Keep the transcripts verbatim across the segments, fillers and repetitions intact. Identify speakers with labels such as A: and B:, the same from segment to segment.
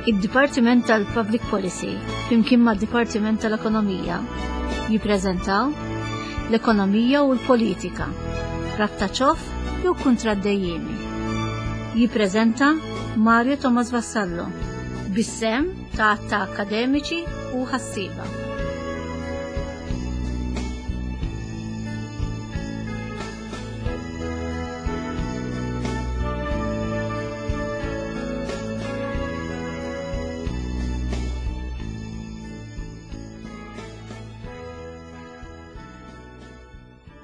A: Id-Dipartiment tal-Public Policy flimkien mad-Dipartiment tal-Ekonomija jippreżentaw l-ekonomija u l-politika, rabta ċoff jew kuntratt dejjiemi. Jippreżenta Mario Thomas Vassallo bis-sehem ta' ta' akademiċi u ħassieba.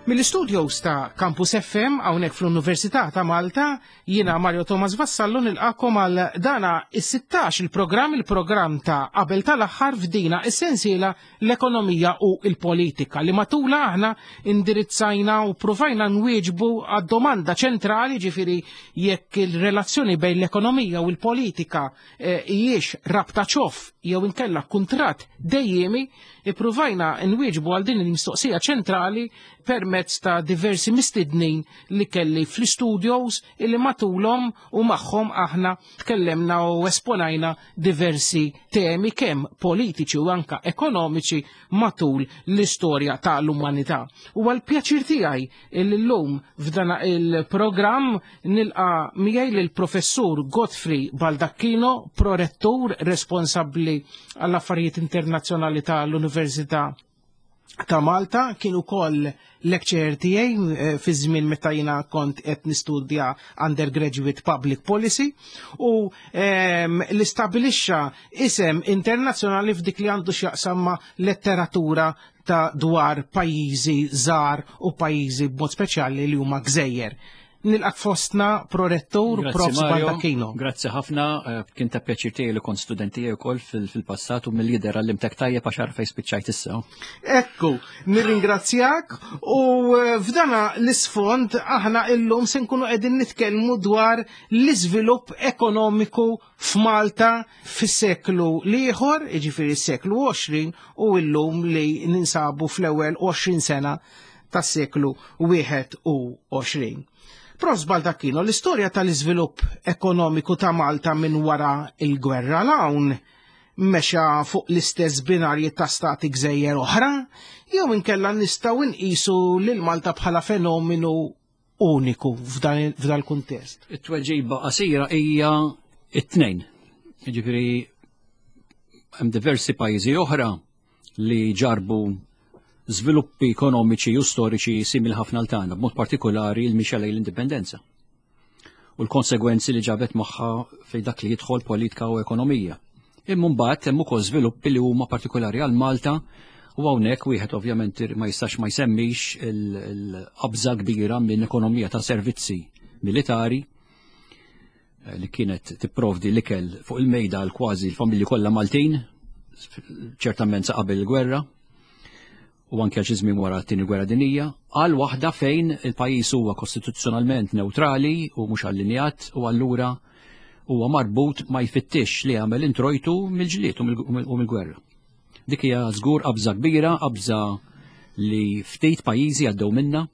B: Mill-studios ta' Campus F M hawnhekk fl-Università ta' Malta, jiena Mario Thomas Vassallo nilqakom għal dana is-sittax il-programm, il-programm ta' qabel tal-aħħar f'dina is-sensiela l-ekonomija u l-politika li matula aħna indirizzajna u provajna nwieġbu għad-domanda ċentrali, ġifieri jekk il-relazzjoni bejn l-ekonomija u l-politika hijiex rabta ċoff jew inkella kuntratt dejjemi, ippruvajna nwieġbu għal din il-mistoqsija ċentrali permezz ta' diversi mistednin li kelli fl-studios illi matulhom u magħhom aħna tkellemna u esponajna diversi temi kemm politiċi u anka ekonomiċi matul l-istorja tal-umanità. U għal pjaċir tiegħi illi llum f'dan il-programm nilqa' miegħi lill-Professur Godfrey Baldacchino, prorettur responsabbli għall-affarijiet internazzjonali tal-Università ta' Malta, kien ukoll lecturer tiegħi, eh, fi żmien meta jiena kont qed nistudja undergraduate public policy u, ehm, li stabilixxa isem internazzjonali f'dik li għandu x'jaqsam ma' letteratura ta' dwar pajjiżi żgħar u pajjiżi b'mod speċjali li huma gżejjer. Nilqak fostna prorettur
C: Grazzi,
B: Profs
C: Mario.
B: Baldacchino.
C: Grazzi ħafna, eh, kien ta' pjaċir tiegħi li kont student tiegħi wkoll fil-, fil-passat u mill-lider għallimtek tajjeb għax għarfej spiċċajt issa.
B: Ekku, nirringrazzjak u, eh, f'dana l-isfond aħna illum se nkunu qegħdin nitkellmu dwar l-iżvilupp ekonomiku f'Malta fis-seklu l-ieħor, jiġifieri s-seklu għoxrin, u illum li ninsabu fl-ewwel għoxrin sena tas-seklu wieħed u għoxrin. Profs Baldacchino, l-istorja tal-iżvilupp ekonomiku ta' Malta minn wara il-gwerra l-hawn mexa fuq l-istess binarji ta' stati gżejjer oħra, jew inkella nistgħu nqisu lil Malta bħala fenomenu uniku f'dan il-, f'dan il-kuntest?
C: It-tweġiba qasira hija it-tnejn. Jiġifieri hemm diversi pajjiżi oħra li ġarbu żviluppi ekonomiċi u storiċi simili ħafna għal tagħna, b'mod partikolari l-mixja lejn l-indipendenza u l-konsegwenzi li ġabet magħha fejn dak li jidħol politika u ekonomija. Imma mbagħad hemm ukoll żviluppi li huma partikolari għal Malta u hawnhekk wieħed ovvjament ma jistax ma jsemmix il-, il-qabża kbira minn ekonomija ta' servizzi militari, eh, li kienet tipprovdi l-ikel fuq il-mejda għal kważi l-familji kollha Maltin, ċertament sa qabel il-gwerra, u anke xi żmien wara t-tieni gwerra dinjija, għal waħda fejn il-pajjiż huwa kostituzzjonalment neutrali u mhux allinjat u allura huwa marbut ma jfittix li jagħmel introjtu mill-ġlied u mill-, u mill-gwerra. Dik hija żgur qabża kbira, qabża li ftit pajjiżi għaddew minna,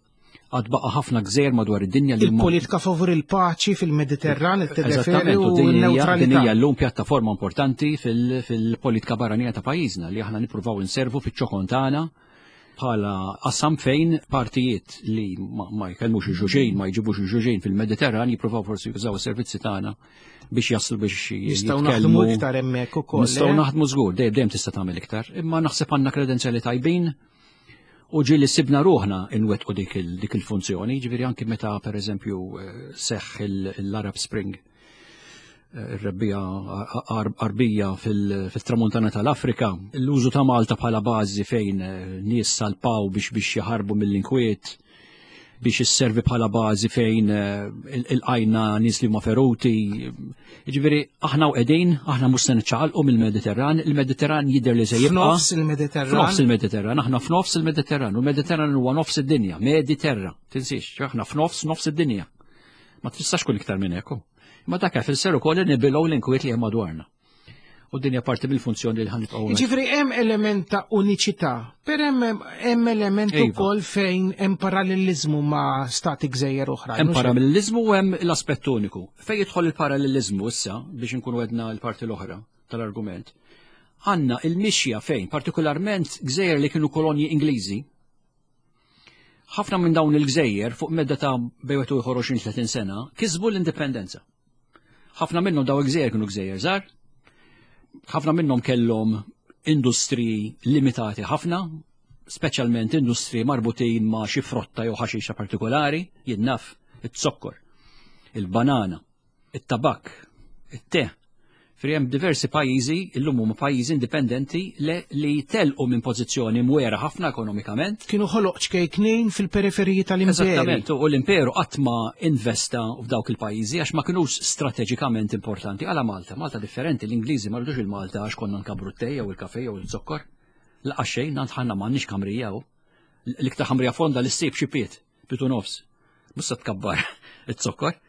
C: għad baqa' ħafna gżejjer madwar id-dinja li huma
B: Il-politika favur il-paċi fil-Mediterran, il-T D F L
C: Eżattament,
B: u
C: u din hija-
B: n-neutralità.
C: Din hija llum pjattaforma importanti fil-, fil-politika barranija ta' pajjiżna li aħna nippruvaw inservu fiċ-ċokon tagħna bħala qasam fejn partijiet li ma, ma jkellmux il-ġuġejn, ma jġibux il-ġuġejn fil-Mediterran, jippruvaw forsi jużaw is-servizzi tagħna biex jaslu biex
B: Nistgħu
C: jitkellmu.
B: naħdmu iktar hemmhekk ukoll,
C: Nistgħu
B: eh?
C: naħdmu żgur, dejjem, dejjem tista' tagħmel iktar, imma naħseb għandna kredenzjali tajbin u ġieli sibna ruħna inwettqu dik il-, dik il-funzjoni, ġifieri anki meta pereżempju, eh, seħħ il-, l-Arab Spring, eh, ir-rebbija Arbija fil-, fil-tramuntana tal-Afrika, l-użu ta' Malta bħala bażi fejn, eh, nies salpaw biex, biex jaħarbu mill-inkwiet, biex isservi bħala bażi fejn, eh, il-, il-qajna nies li huma feruti. Jiġifieri aħna u qegħdin, aħna mhux se niċċaqalqu mill-Mediterran, il-Mediterran jidher li se jibqa'
B: F'nofs il-Mediterran.
C: F'nofs il-Mediterran, aħna f'nofs il-Mediterran, u l-Mediterran huwa nofs id-dinja, Mediterra, tinsiex, aħna f'nofs nofs id-dinja. Ma tistax tkun iktar minn hekk. Ma dak ifisser ukoll li nibilgħu l-inkwiet li hemm madwarna. U dinja parti mill-funzjoni li ħanibqgħu hekk.
B: Jiġifieri hemm element ta' uniċità, per hemm, hemm element
C: Iva.
B: ukoll fejn hemm parallelizmu ma' stati gżejjer oħra.
C: Hemm
B: mhux hekk?
C: parallelizmu u hemm l-aspett uniku. Fejn jidħol il-parallelizmu issa biex inkunu għedna l-parti l-oħra. tal-argument, għandna il-mixja fejn, partikolarment gżejjer li kienu kolonji Ingliżi, ħafna minn dawn il-gżejjer fuq medda ta' bejn wieħed u ieħor għoxrin tletin sena kisbu l-indipendenza. Ħafna minnhom dawn il-gżejjer kienu gżejjer żgħar, ħafna minnhom kellhom industriji limitati ħafna, speċjalment industriji marbutin ma' xi frotta jew ħaxixa partikolari, jien naf it-zokkor, il-banana, it-tabak, it-te. Fri hemm diversi pajjiżi, illum huma pajjiżi indipendenti li, li telqu minn pożizzjoni mwera ħafna ekonomikament.
B: Kienu ħoloq ċkejknin fil-periferiji tal-imperu.
C: Eżattament, u l-imperu qatt ma investa f'dawk il-pajjiżi għax ma kinux strateġikament importanti. Għala Malta, Malta differenti, l-Ingliżi ma rridux il-Malta għax konna nkabru t-tej jew il-kafe jew il-zokkor. Laqas xejn, għand ħanna m'għandniex ħamrija hu. L-iktar ħamrija fonda li ssib xi piet, pitu nofs. Mhux se tkabbar it-zokkor.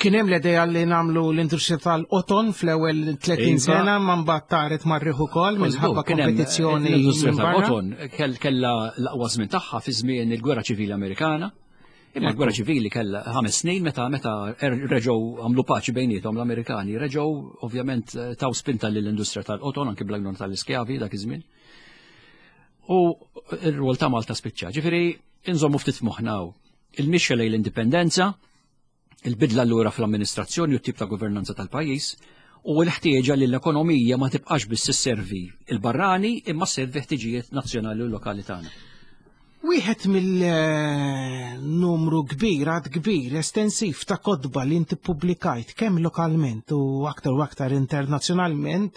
B: Kien hemm l-idea li nagħmlu l-industrija tal-qoton fl-ewwel tletin
C: Iva.
B: sena, ma mbagħad taret marriħ ukoll minħabba
C: Kien hemm
B: kompetizzjoni
C: l-industrija
B: minn barra.
C: tal-qoton kell-, kellha l-aqwa żmien tagħha fi żmien il-Gwerra Ċivili Amerikana. Imma l-Gwerra Ċivili kellha ħames snin meta, meta er-, reġgħu għamlu paċi bejniethom l-Amerikani, reġgħu ovvjament taw spinta lill-industrija tal-qoton anke bl-għajnuna tal-iskjavi dak iż-żmien. U r-rwol ta' Malta spiċċa. Ġifieri inżommu ftit f'moħħna hawn. Il-mixja lejn l-indipendenza, il-bidla allura fl-amministrazzjoni u t-tip ta' governanza tal-pajjiż, u l-ħtieġa li l-ekonomija ma tibqax biss isservi il-barrani imma sservi ħtiġijiet nazzjonali u lokali tagħna.
B: Wieħed mill-numru kbir, għad kbir, estensiv ta' kotba li inti ppubblikajt kemm lokalment u aktar u aktar internazzjonalment,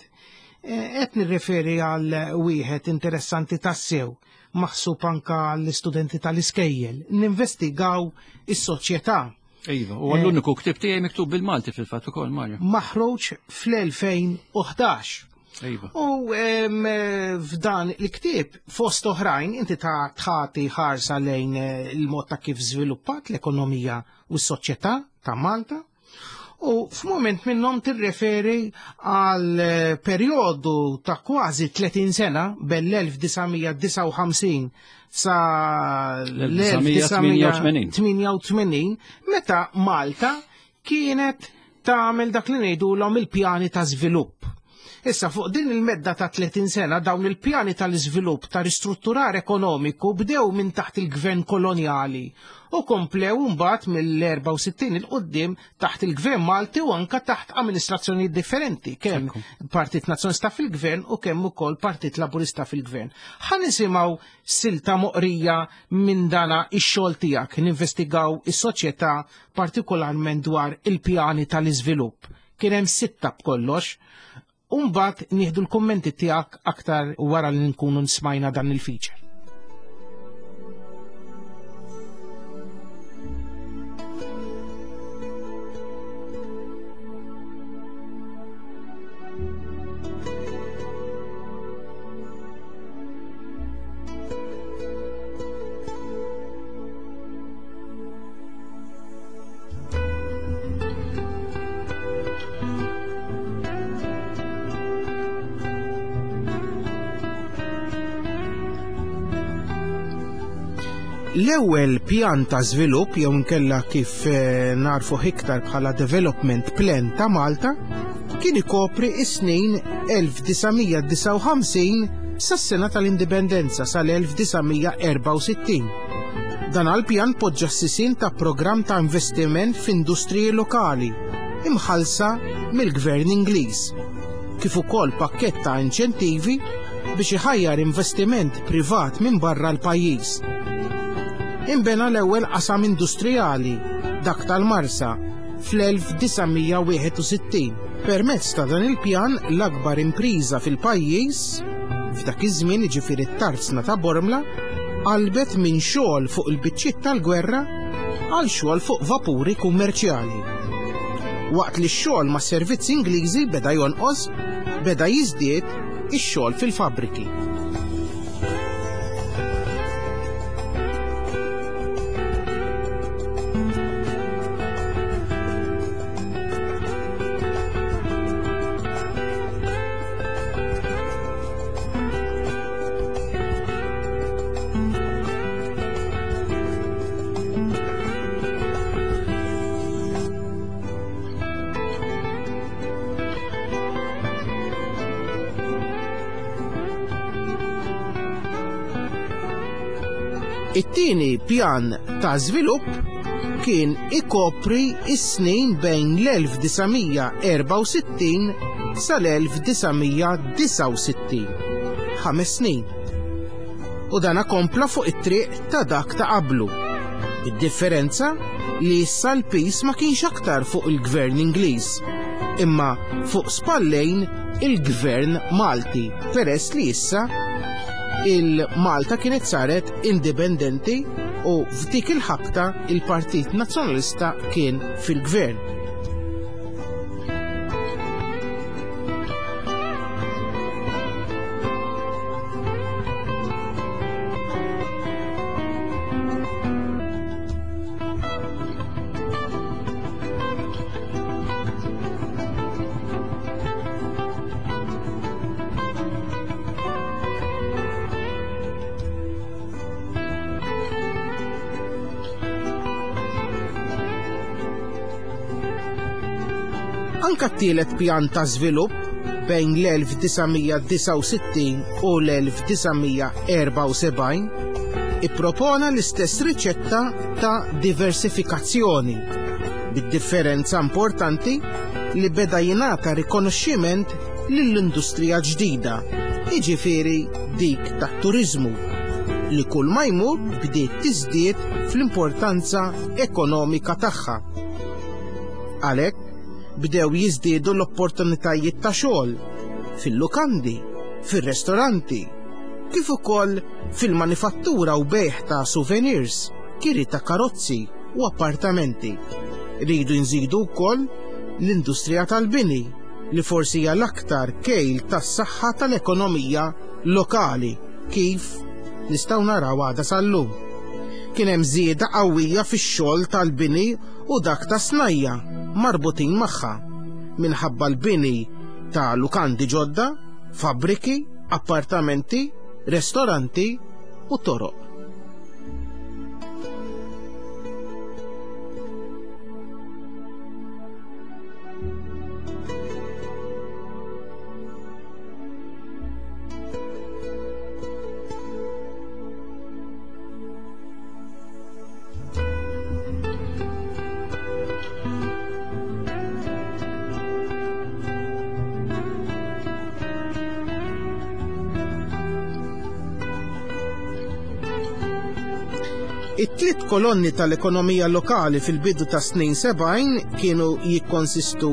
B: eh, qed nirreferi għal wieħed interessanti tassew, maħsub anka għall-istudenti tal-iskejjel, ninvestigaw is-soċjetà.
C: Iva, u għall-uniku ktieb tiegħi miktub bil-Malti fil-fatt ukoll, Mario.
B: Maħruġ fl-elfejn u ħdax.
C: Iva.
B: U, em, f'dan il-ktieb fost oħrajn inti ta' tħati ħarsa lejn, eh, il-mod ta' kif żviluppat l-ekonomija u s-soċjetà ta' Malta. U f'mument minnhom tirreferi għal, eh, perjodu ta' kważi tletin sena bell-elf disa' mija disgħa u ħamsin sa
C: L-elf disa' mija
B: l-elf disa' mija tmienja u tmenin, meta Malta kienet tagħmel dak li ngħidulhom il-pjani ta' żvilupp. Issa fuq din il-medda ta' tletin sena dawn il-pjani tal-iżvilupp ta' ristrutturar ekonomiku bdew minn taħt il-gvern kolonjali u komplew mbagħad mill-erba' u sittin il quddiem taħt il-gvern Malti u anka taħt amministrazzjonijiet differenti, kemm
C: Ekku.
B: Partit Nazzjonalista fil-gvern u kemm ukoll Partit Laburista fil-gvern. Ħa nisimgħu silta moqrija minn dana ix-xogħol tiegħek, ninvestigaw is-soċjetà partikolarment dwar il-pjani tal-iżvilupp. Kien hemm sitta b'kollox. Umbat nieħdu l-kummenti tiegħek aktar wara li nkunu nsmajna dan il-feature. L-ewwel pjan ta' żvilupp jew inkella kif, eh, narfu iktar bħala Development Plan ta' Malta kien ikopri is-snin elf disa' mija disgħa u ħamsin sas-sena tal-Indipendenza sal-elf disa' mija erba' u sittin. Dan għall-pjan poġġa s-sisien ta' programm ta' investiment f'industriji lokali imħallsa mill-Gvern Ingliż, kif ukoll pakkett ta' inċentivi biex iħajjar investiment privat minn barra l-pajjiż. Inbena l-ewwel qasam industrijali, dak tal-Marsa, fl-elf disa' mija wieħed u sittin. Permezz ta' dan il-pjan l-akbar impriża fil-pajjiż, f'dak iż-żmien jiġifieri t-tarzna ta' Bormla, qalbet minn xogħol fuq il-biċċiet tal-gwerra għal xogħol fuq vapuri kummerċjali. Waqt li x-xogħol ma' servizzi Ingliżi beda jonqos, beda jiżdied ix-xogħol fil-fabbriki. It-tieni pjan ta' żvilupp kien ikopri is-snin bejn l-elf disa' mija erbgħa u sittin sal-elf disa' mija disgħa u sittin, ħames snin. U dana kompla fuq it-triq ta' dak ta' qablu. Id-differenza li issa l-pis ma kienx aktar fuq il-gvern Ingliż, imma fuq spallejn il-gvern Malti, peress li issa il-Malta kienet saret indipendenti u f'dik il-ħabta il-Partit Nazzjonalista kien fil-gvern. Anka t-tielet pjan ta' żvilupp bejn l-elf disa' mija disgħa u sittin u l-elf disa' mija erbgħa u sebgħin ippropona l-istess riċetta ta' diversifikazzjoni, bid-differenza importanti li beda jingħata rikonoxximent lill-industrija ġdida, jiġifieri dik tat-turiżmu, li kull ma jmur bdiet tiżdied fl-importanza ekonomika tagħha. Għalhekk bdew jiżdiedu l-opportunitajiet ta' xogħol fil-lukandi, fir-restoranti, kif ukoll fil-manifattura u bejgħ ta' souvenirs, kiri ta' karozzi u appartamenti. Ridu nżidu wkoll l-industrija tal-bini, li forsi hija l-aktar kejl tas-saħħa tal-ekonomija lokali, kif nistgħu naraw għada sal-lum. Kien hemm żieda qawwija fix-xogħol tal-bini u dak ta' snajja marbutin magħha, minħabba l-bini ta' lukandi ġodda, fabbriki, appartamenti, restoranti u toroq. It-tliet kolonni tal-ekonomija lokali fil-bidu ta' snin sebgħin kienu jikkonsistu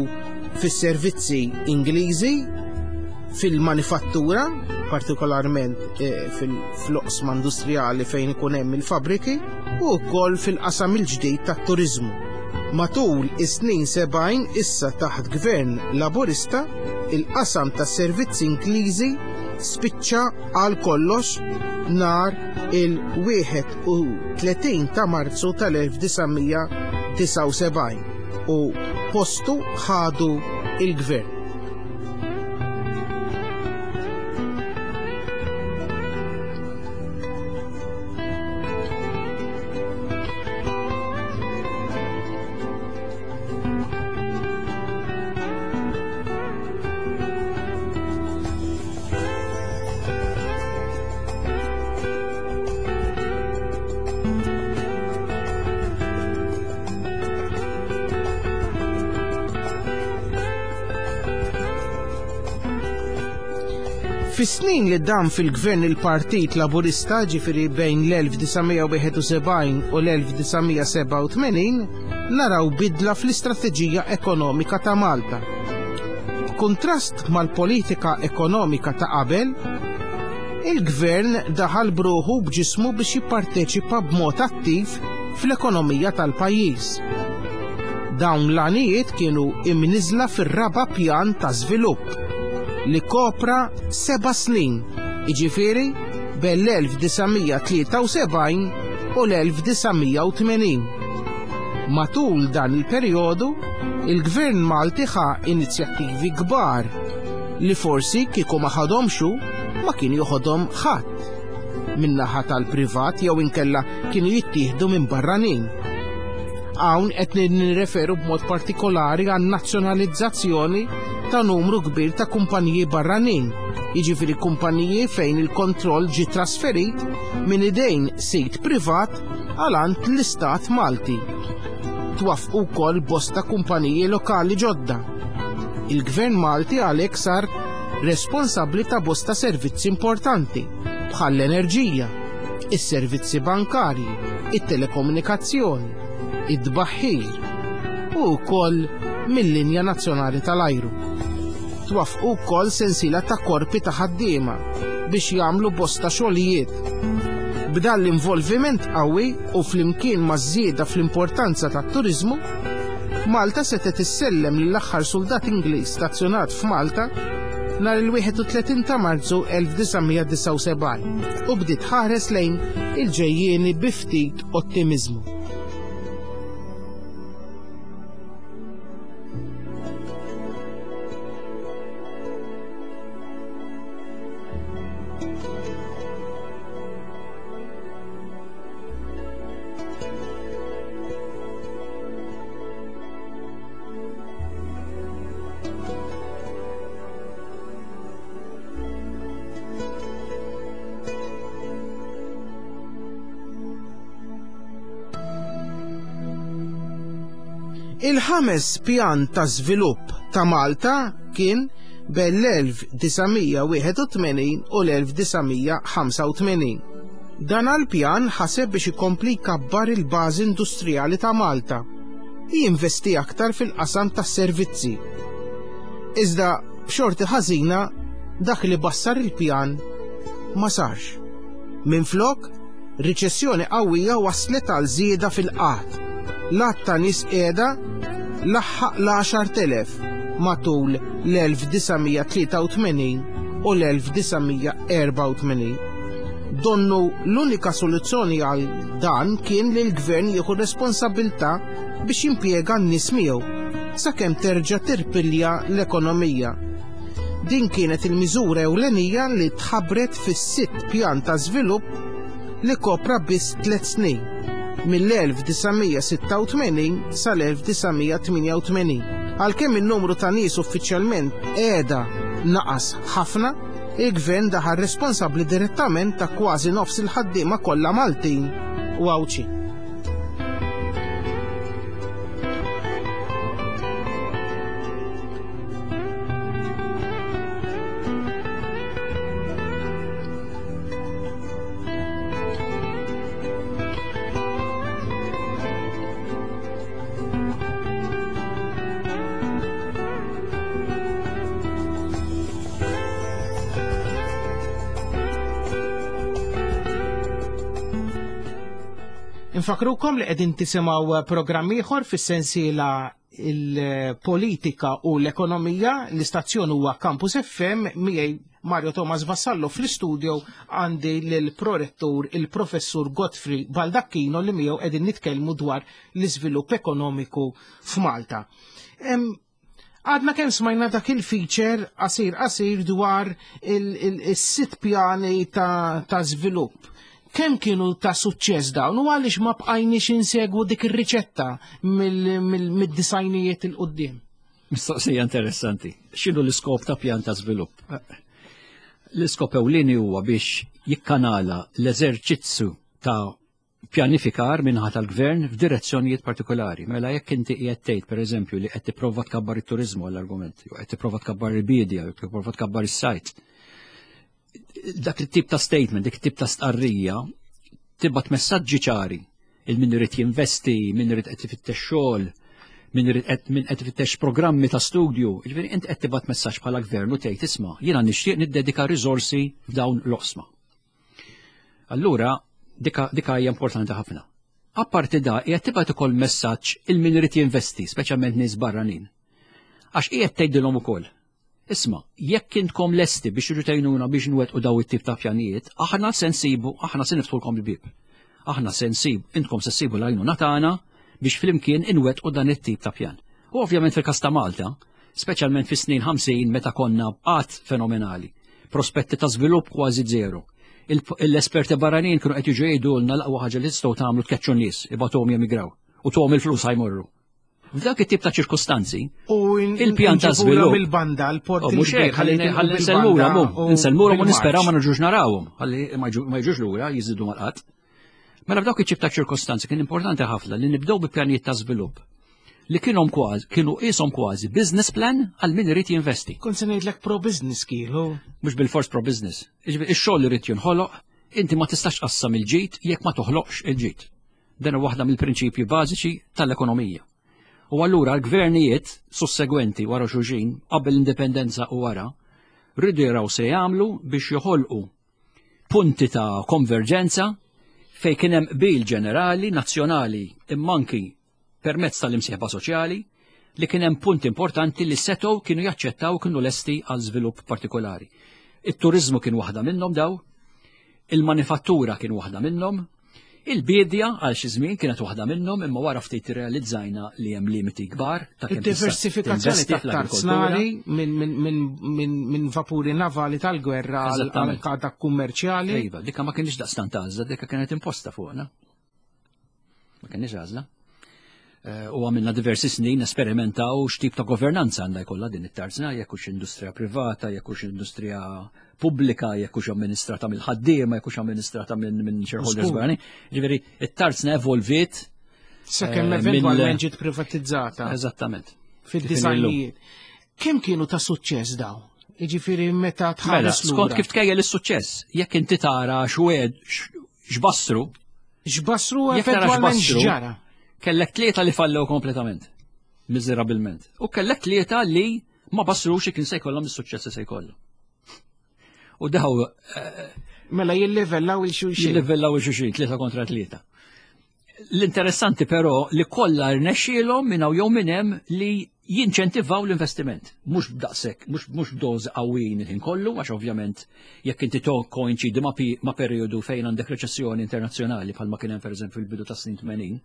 B: fis-servizzi Ingliżi, fil-manifattura, partikolarment, eh, fil-oqsma industrijali fejn ikun hemm il-fabriki, u wkoll fil-qasam il-ġdid tat-turiżmu. Matul is-snin sebgħin issa taħt gvern Laburista, il-qasam tas-servizzi Ingliżi spiċċa għal kollox nhar il-wieħed u tletin ta' Marzu tal-elf disa' mija disgħa u sebgħin u postu ħadu il-gvern. Fis-snin li dam fil-gvern il-Partit Laburista, ġifieri bejn l-elf disa' mija wieħed u sebgħin u l-elf disa' mija sebgħa u tmenin, naraw bidla fl-istrateġija ekonomika ta' Malta. B'kuntrast mal-politika ekonomika ta' qabel, il-gvern daħal bruħu b'ġismu biex jipparteċipa b'mod attiv fl-ekonomija tal-pajjiż. Dawn l-għanijiet kienu imniżla fir-raba' pjan ta' żvilupp li kopra seba' snin, jiġifieri bejn l-elf disa' mija tlieta u sebgħin u l-elf disa' mija u tmenin. Matul dan il-perjodu, il-Gvern Malti ħa inizjattivi kbar li forsi kieku ma ħadhomx hu, ma kien joħodhom ħadd min-naħa tal-privat jew inkella kienu jittieħdu minn barranin. Hawn qed nirreferu b'mod partikolari għan nazzjonalizzazzjoni ta' numru kbir ta' kumpaniji barranin, jiġifieri kumpaniji fejn il-kontroll ġie trasferit minn idejn sit privat għal għand l-Istat Malti. Twaffqu wkoll bosta kumpaniji lokali ġodda. Il-Gvern Malti għalhekk sar responsabbli ta' bosta servizzi importanti bħal l-enerġija, is-servizzi bankarji, it-telekomunikazzjoni, id-tbaħħir u wkoll mill-linja nazzjonali tal-ajru. Twaffqu wkoll sensiela ta' korpi ta' ħaddiema biex jagħmlu bosta xogħlijiet. B'dan l-involviment qawwi u flimkien ma' żieda fl-importanza tat-turiżmu, Malta setgħet issellem lill-aħħar suldat Ingliż stazzjonat f'Malta nhar il-wieħed u tletin ta' Marzu elf disa' mija disgħa u sebgħin u bdiet ħares lejn il-ġejjieni bi ftit ottimiżmu. Il-ħames pjan ta' żvilupp ta' Malta kien bejn l-elf disa' mija wieħed u tmenin u l-elf disa' mija ħamsa u tmenin. Dan għall-pjan ħaseb biex ikompli jkabbar il-bażi industrijali ta' Malta u jinvesti aktar fil-qasam tas-servizzi. Iżda b'xorti ħażina dak li bassar il-pjan ma sarx. Minflok, riċessjoni qawwija waslet għal żieda fil-qgħad. L-għadd ta' nies qiegħda laħħaq l-għaxar telef matul l-elf disa' mija tlieta u tmenin u l-elf disa' mija erba' u tmenin. Donnu l-unika soluzzjoni għal dan kien li l-gvern jieħu responsabilità biex jimpjega n-nies miegħu sakemm terġa' tirpilja l-ekonomija. Din kienet il-miżura ewlenija li tħabbret fis-sitt pjan ta' żvilupp li kopra biss tliet snin, mill-elf disa' mija sitta u tmenin sal-elf disa' mija tmienja u tmenin. Għalkemm in-numru ta' nies uffiċjalment qiegħda naqas ħafna, il-gvern daħal responsabbli direttament ta' kważi nofs il-ħaddiema kollha Maltin u Għawdxin. Infakrukom li qegħdin tisimgħu programm ieħor fis-sensiela il-politika u l-ekonomija. L-istazzjon huwa Campus F M, miegħi Mario Thomas Vassallo fl-istudio għandi lill-prorettur il-professur Godfrey Baldacchino li miegħu qegħdin nitkellmu dwar l-iżvilupp ekonomiku f'Malta. Għadna kemm smajna dak il-feature qasir qasir dwar il-sitt pjani ta', ta' żvilupp. Kemm kienu ta' suċċess dawn u għaliex ma bqajniex insegwu dik ir-riċetta mid-disajnijiet il quddiem?
C: Mistoqsija interessanti. X'inhu l-iskop ta' pjan ta' żvilupp? L-iskop ewlieni huwa biex jikkanala l-eżerċizzju ta' pjanifikar minħa tal-gvern f'direzzjonijiet partikolari. Mela jekk inti qiegħed tgħid pereżempju li qed tipprova tkabbar it-turiżmu għall-argument, jew qed tipprova tkabbar il-biedja, jew tipprova tkabbar is-sajt. Dak it-tip ta' statement, dik it-tip ta' stqarrija tibgħat messaġġi ċari il min irid jinvesti, min irid qed ifittex xogħol, min irid qed min qed ifittex programmi ta' studju. Jiġifieri int qed tibgħat messaġġ bħala gvern u tgħid isma' jiena nixtieq niddedika riżorsi f'dawn l-oqsma. Allura dika, dika hija importanti ħafna. Apparti da qiegħed tibgħat ukoll messaġġ il min irid jinvesti, speċjalment nies barranin. Għax qiegħed tgħidilhom ukoll. Isma', jekk intkom lesti biex irridu tgħinuna biex nwettqu daw it-tip ta' pjanijiet, aħna se nsibu, aħna se niftħulkom il-bieb. Aħna se nsibu, intkom se ssibu l-għajnuna tagħna biex flimkien inwettqu dan it-tip ta' pjan. U ovvjament fil-każ ta' Malta, speċjalment fis-snin ħamsin meta konna b'qgħad fenomenali, prospetti ta' żvilupp kważi zero. Il-, l-esperti barranin kienu qed jiġu jgħidulna l-aqwa ħaġa li tistgħu tagħmlu tkeċċu n-nies, ibgħatuhom jemigraw. U tuhom il-flus ħa jmorru. F'dak it-tip ta' ċirkustanzi,
B: U
C: il-pjan ta' żvilupp.
B: Bil-banda, l-port.
C: Oh, mhux hekk, ħalli ħalli nsellmulha mu, nsellmulhom u nisperaw ma nerġgħux narawhom, ħalli ma jiġu- ma jiġux lura jiżidu mal-qatt. Mela f'dawk it-tip ta' ċirkostanzi kien importanti ħafna li nibdew bi pjanijiet ta' żvilupp li kienhom kważi kienu qishom kważi business plan għal min irid jinvesti.
B: Kont se ngħidlek pro-business kienu.
C: Mhux bil-fors pro business. Jiġifieri ix-xogħol irid jinħoloq, inti ma tistax tqassam il-ġid jekk ma toħloqx il-ġid. Dan huwa waħda mill-prinċipji bażiċi tal-ekonomija. U allura l-gvernijiet sussegwenti wara xulxin qabel l-indipendenza u wara rridu jaraw se jagħmlu biex joħolqu punti ta' konverġenza fej kien hemm qbil ġenerali, nazzjonali, imma anki permezz tal-imsieħba soċjali li kien hemm punti importanti li setgħu kienu jaċċettaw kienu lesti għal żvilupp partikolari. It-turizmu kien waħda minnhom daw, il-manifattura kien waħda minnhom, il-bidja għal xi żmien kienet waħda minnhom, imma wara ftit irrealizzajna li hemm limiti kbar ta' kemm tista'
B: Id-diversifikazzjoni
C: tinvesti
B: ta'
C: fl-agrikoltura.
B: tarznari minn min, min, min, min vapuri navali tal-gwerra għal
C: Eżattament.
B: għal dak kummerċjali.
C: Iva, dikka ma kienx daqstant għażla, dikka kienet imposta fuqna. Ma kienx għażla. Eh, U għamilna diversi snin esperimentaw x'tip ta' governanza għandha jkollha din it-tarzna, jekk hux industrija privata, jekk hux industrija pubblika, jekk hux amministrata mill-ħaddiema, jekk hux amministrata minn min shareholders
B: Żgur.
C: barranin. Ġifieri, it-tarzna evolviet
B: Sakemm
C: Eh,
B: eventwalment
C: mill-
B: ġiet privatizzata
C: eżattament.
B: fid-disajnijiet. Kemm kienu ta' suċċess daw? Jiġifieri meta
C: Mela,
B: tħares
C: skont
B: lura.
C: kif tkejjel is-suċċess, jekk inti tara x'wed x'bassru,
B: X'bassru
C: Jekk tara
B: eventwalment
C: x'bassru,
B: x'ġara.
C: kellek tlieta li fallew kompletament. Miżerabilment. U kellek tlieta li ma bassrux kien se jkollhom is-suċċess li se jkollhom. U daw eh,
B: Mela jillivellaw il-xulxin.
C: jillivellaw il-xulxin, tlieta kontra tlieta. L-interessanti però li kollha rnexxielhom minn hawn jew minn hemm li jinċentivaw l-investiment. Mhux b'daqshekk, mhux mhux b'doż qawwijin il-ħin kollu, għax ovvjament jekk inti to koinċidi ma, pi- ma perjodu fejn għandek reċessjoni internazzjonali bħalma kien hemm pereżempju fil-bidu tas-snin tmenin,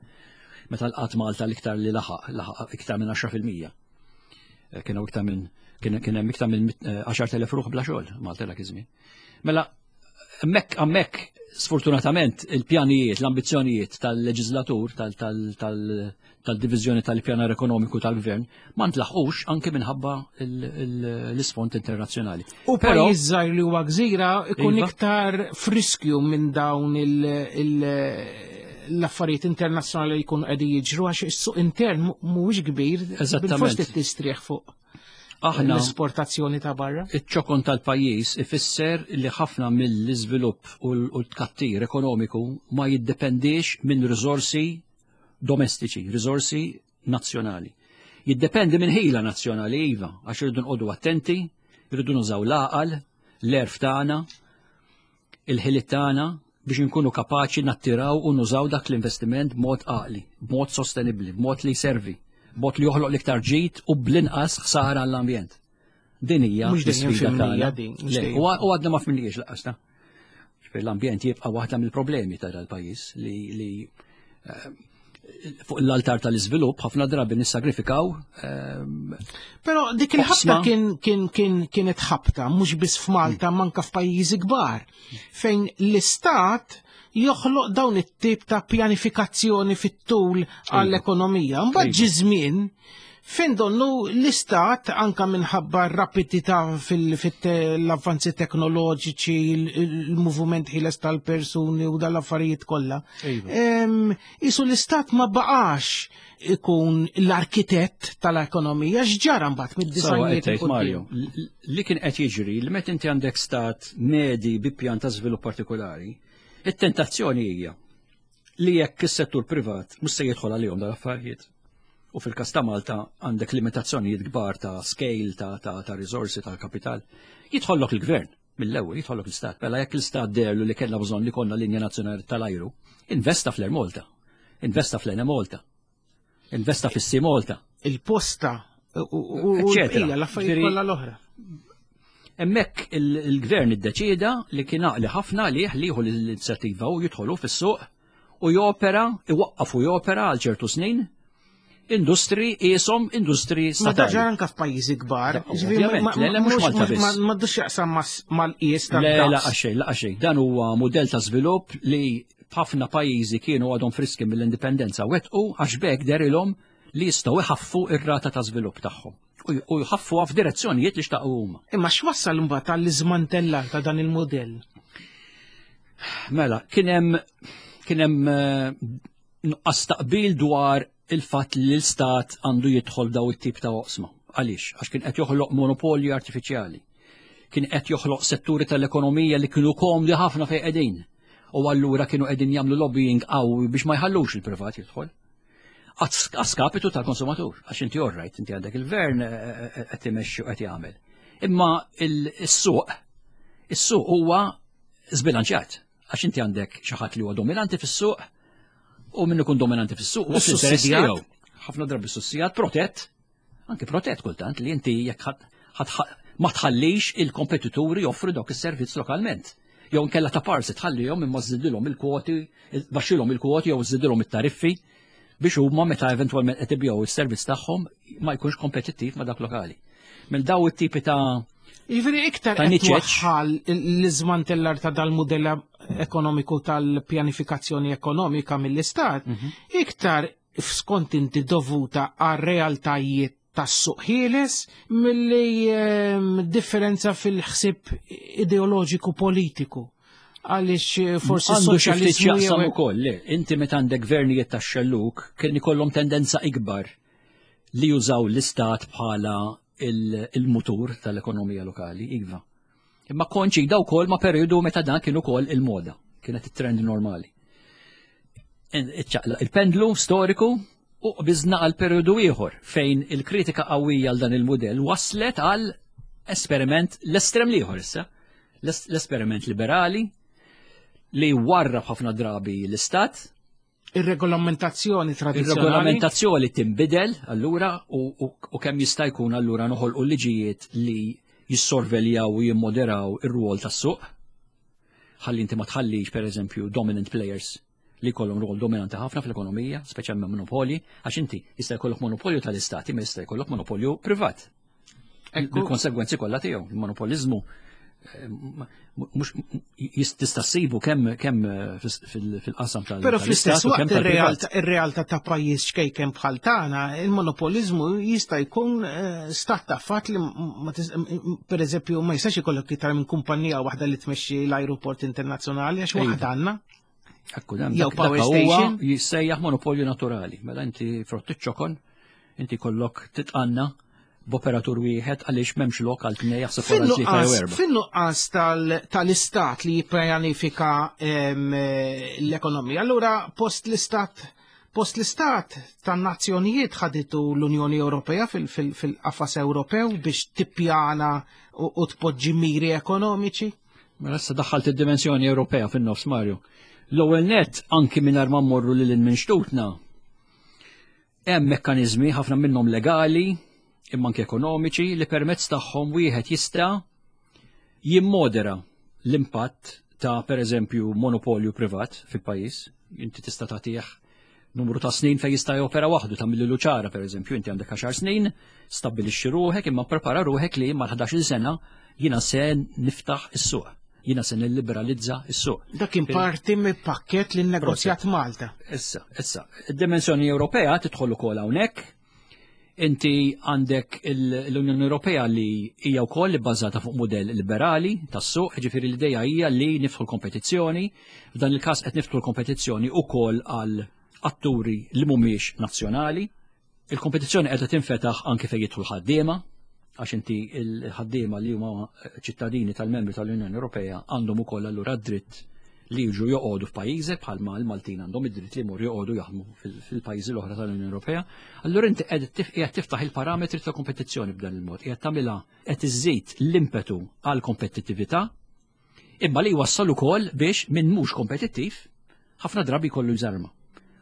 C: meta l-qatt Malta l-iktar li laħaq, laħaq iktar minn għaxra fil-mija. Eh, Kienu iktar minn kien kien hemm iktar minn eh, għaxart elef ruħ bla xogħol Malta dak iż-żmien. Mela hemmhekk hemmhekk sfortunatament il-pjanijiet, l-ambizzjonijiet tal-leġislatur, tal-divizjoni tal-pjanar ekonomiku tal-gvern ma ntlaħqux anke minħabba l-isfond internazzjonali.
B: U pajjiż żgħir li huwa gżira ikun
C: Iva.
B: iktar friskju minn dawn l-affarijiet internazzjonali li jkunu qegħdin jiġru, għax is-suq intern mhuwiex kbir,
C: Eżattament.
B: bil-fost tistrieħ fuq
C: Aħna
B: l-esportazzjoni ta' barra.
C: Iċ-ċokon tal-pajjiż ifisser li ħafna mill-iżvilupp u l-tkattir ekonomiku ma jiddependix minn riżorsi domestiċi, riżorsi nazzjonali. Jiddependi minn ħila nazzjonali, iva, għax irridu nqogħdu attenti, irridu nużaw l-għaqal, l-għerf tagħna, il-ħiliet tagħna biex nkunu kapaċi nattiraw u nużaw dak l-investiment b'mod għaqli, b'mod sostenibbli, b'mod li jservi, b'mod li joħloq l-iktar ġid u bl-inqas ħsara għall-ambjent. Din hija
B: Mhux dejjem
C: l-isfida
B: fimnija
C: tagħna.
B: din, mhux
C: Le,
B: dejjem.
C: U u għadna ma fhimnihiex lanqas ta'. Ġifieri l-ambjent jibqa' waħda mill-problemi ta' dal-pajjiż li li eh, fuq l-altar tal-iżvilupp ħafna drabi nissagrifikaw ehm,
B: Però dik il-ħabta
C: Oqsma.
B: kien kien kien kienet ħabta mhux biss f'Malta, manka f'pajjiżi kbar, fejn l-istat joħloq dawn it-tip ta' pjanifikazzjoni fit-tul għall-ekonomija. Mbagħad
C: Iva.
B: ġi żmien fejn donnu l-istat, anka minħabba r-rapidità fil-avvanzi teknoloġiċi, il-moviment ħieles tal-persuni u dal-affarijiet kollha.
C: Iva.
B: Em, Isu l-istat ma baqax ikun l-arkitett tal-ekonomija. X'ġara mbagħad
C: Sawa
B: mid-disajnijiet
C: qed tgħid,
B: 'il quddiem?
C: Mario, l- li kien qed jiġri li meta inti għandek stat medi bi pjan ta' żvilupp partikolari, it-tentazzjoni hija li jekk is-settur privat mhux se jidħol għalihom dal-affarijiet. U fil-każ ta' Malta għandek limitazzjonijiet kbar ta' scale, ta' ta' ta' risorsi, ta' kapital. Jidħollok il-gvern mill-ewwel, jidħollok l-istat. Mela jekk l-istat derlu li kellna bżonn li konna linja nazzjonali tal-ajru, investa fl-Air Malta, investa fl-Enemalta, investa fis-Sea Malta.
B: Il-posta u u- u
C: Eccetera.
B: l-bqija, l-affarijiet
C: Ġifieri-
B: kollha l-oħra.
C: Hemmhekk il-gvern iddeċieda li kien għaqli ħafna li jieħu l-inizjattiva u jidħolu fis-suq u jopera, iwaqqaf u jopera għal ċertu snin, industri qishom industri
B: Ma
C: statali.
B: daġar anka f'pajjiżi kbar.
C: Da,
B: Ġifieri
C: ovvjament,
B: ma-
C: le, le, mhux
B: mhux-
C: Malta
B: mhux-
C: biss.
B: Ma m'għandux jaqsam mas- mal-qies
C: Le,
B: tad-daqs.
C: la xejn, la xejn. Dan huwa modell ta' żvilupp li ħafna pajjiżi kienu għadhom friski mill-indipendenza wettqu, għax b'hekk dehrilhom li jistgħu iħaffu ir-rata ta' żvilupp tagħhom u jħaffuha f'direzzjonijiet li xtaqu huma.
B: Imma x'wassal imbagħad għall-iżmantellar ta' dan il-modell?
C: Mela, kien hemm kien hemm eh, nuqqas taqbil dwar il-fatt li l-istat għandu jidħol daw it-tip ta' oqsma. Għaliex? Għax kien qed joħloq monopolju artifiċjali. Kien qed joħloq setturi tal-ekonomija li kienu komdi ħafna fejn qegħdin. U allura kienu qegħdin jagħmlu lobbying qawwi biex ma jħallux il-privat jidħol. A skapitu tal-konsumatur, għax inti orrajt, inti għandek il-gvern eh, eh, qed imexxi u qed jagħmel. Imma il-suq, is-suq huwa zbilanċjat, għax inti għandek xi ħadd li huwa dominanti fis-suq u min ikun dominanti fis-suq u fl-interess tiegħu. Ħafna drabi sussidjat, protett, anke protett kultant, li inti jekk ma tħallix il-kompetituri joffru dawk is-servizz lokalment. Jew nkella ta' parsi tħallihom imma żżidilhom il-kwoti, baxxilhom il-kwoti jew żżidilhom it-tariffi biex huma meta eventwalment qed ibigħu is-servizz tagħhom ma jkunx kompetittiv ma' dak lokali. Mill daw it-tipi ta'
B: Jiġifieri iktar qed twaħħal l-iżmantellar ta' dal-mudell ekonomiku tal-pjanifikazzjoni ekonomika mill-istat, mhm. iktar skont inti dovuta għal realtajiet tas-suq ħieles milli ehm, differenza fil-ħsib ideoloġiku politiku, għaliex eh, forsi
C: għandu xi ftit x'jaqsam ukoll, le, inti meta għandek gvernijiet tax-xelluk kien ikollhom tendenza ikbar li jużaw l-istat bħala il-mutur tal-ekonomija lokali, iva. Imma koinċida wkoll ma' periodu meta dan kien ukoll il-moda, kienet it-trend normali. Il-pendlu storiku u qbiżna għal periodu ieħor fejn il-kritika qawwija għal dan il-mudell waslet għal esperiment l-estrem l-ieħor issa, l-esperiment liberali li warrab ħafna drabi l-istat.
B: Ir-regolamentazzjoni tradizzjonali.
C: Ir-regolamentazzjoni tinbidel allura u, u, u kemm jista' jkun allura noħolqu liġijiet li jissorveljaw u jimmoderaw ir-rwol tas-suq. Ħalli inti ma tħallix, pereżempju, dominant players li jkollhom rwol dominanti ħafna fl-ekonomija, speċjalment monopoli, għax inti jista' jkollok monopolju tal-istati, ma jista' jkollok monopolju privat. Bil-konsegwenzi kollha tiegħu, il-monopoliżmu eh, mhux tista' ssibu kemm kemm eh, fil-qasam tal
B: Però fl-istess waqt ir-realtà ta' pajjiż ċkejken bħal tagħna, il-monopoliżmu jista' jkun eh, stat ta' fatt li, pereżempju, ma jistax ikollok iktar minn kumpanija waħda li tmexxi l-ajruport internazzjonali għax waħda għandna.
C: Ekku, jew power station. Jissejjaħ monopolju naturali. Mela inti frott iċ-ċokon, inti kollok titqanna b'operatur wieħed għaliex m'hemmx lok għal tnejn, jaħseb wara tlieta jew erba'.
B: Fin-nuqqas tal-istat li jippjanifika l-ekonomija, allura post l-istat post l-istat tan-nazzjonijiet ħaditu l-Unjoni Ewropea fil-qafas Ewropew biex tippjana u tpoġġi miri ekonomiċi?
C: Mela issa daħħalt id-dimensjoni Ewropea fin-nofs, Mario. L-ewwel net, anki mingħajr ma mmorru lil minn xtutna, hemm mekkaniżmi, ħafna minnhom legali imma anke ekonomiċi, li permezz tagħhom wieħed jista' jimmodera l-impatt ta', pereżempju, monopolju privat fil-pajjiż. Inti tista' tagħtih numru ta' snin fejn jista' jopera waħdu, ta' milli ċara, pereżempju, inti għandek għaxar snin, stabbilixxi ruħek, imma prepara ruħek li mal-ħdax-il sena jiena se niftaħ is-suq. Jiena se nilliberalizza is-suq.
B: Dak kien parti mill pakket li nnegozjat Malta.
C: Issa, issa, id-dimensjoni Ewropea tidħol ukoll hawnhekk. Inti għandek l-Unjoni Ewropea li hija wkoll bbażata fuq mudell liberali tas-suq, ġifieri l-idea hija li niftħu l-kompetizzjoni. F'dan il-każ qed niftħu l-kompetizzjoni wkoll għal atturi li mhumiex nazzjonali. Il-kompetizzjoni qiegħda tinfetaħ anke fejn jidħlu l-ħaddiema, għax inti l-ħaddiema li huma ċittadini tal-membri tal-Unjoni Ewropea għandhom ukoll allura dritt li jiġu joqogħdu f'pajjiżek, bħalma l-Maltin għandhom id-dritt li jmorru joqogħdu jaħdmu fil-pajjiżi l-oħra tal-Unjoni Ewropea. Allura inti qiegħed tiftaħ il-parametri ta' kompetizzjoni b'dan il-mod, qiegħed tagħmilha, qed iżżid l-impetu għal kompetittività, imma li jwassal ukoll biex min mhux kompetittiv ħafna drabi jkollu jżarma.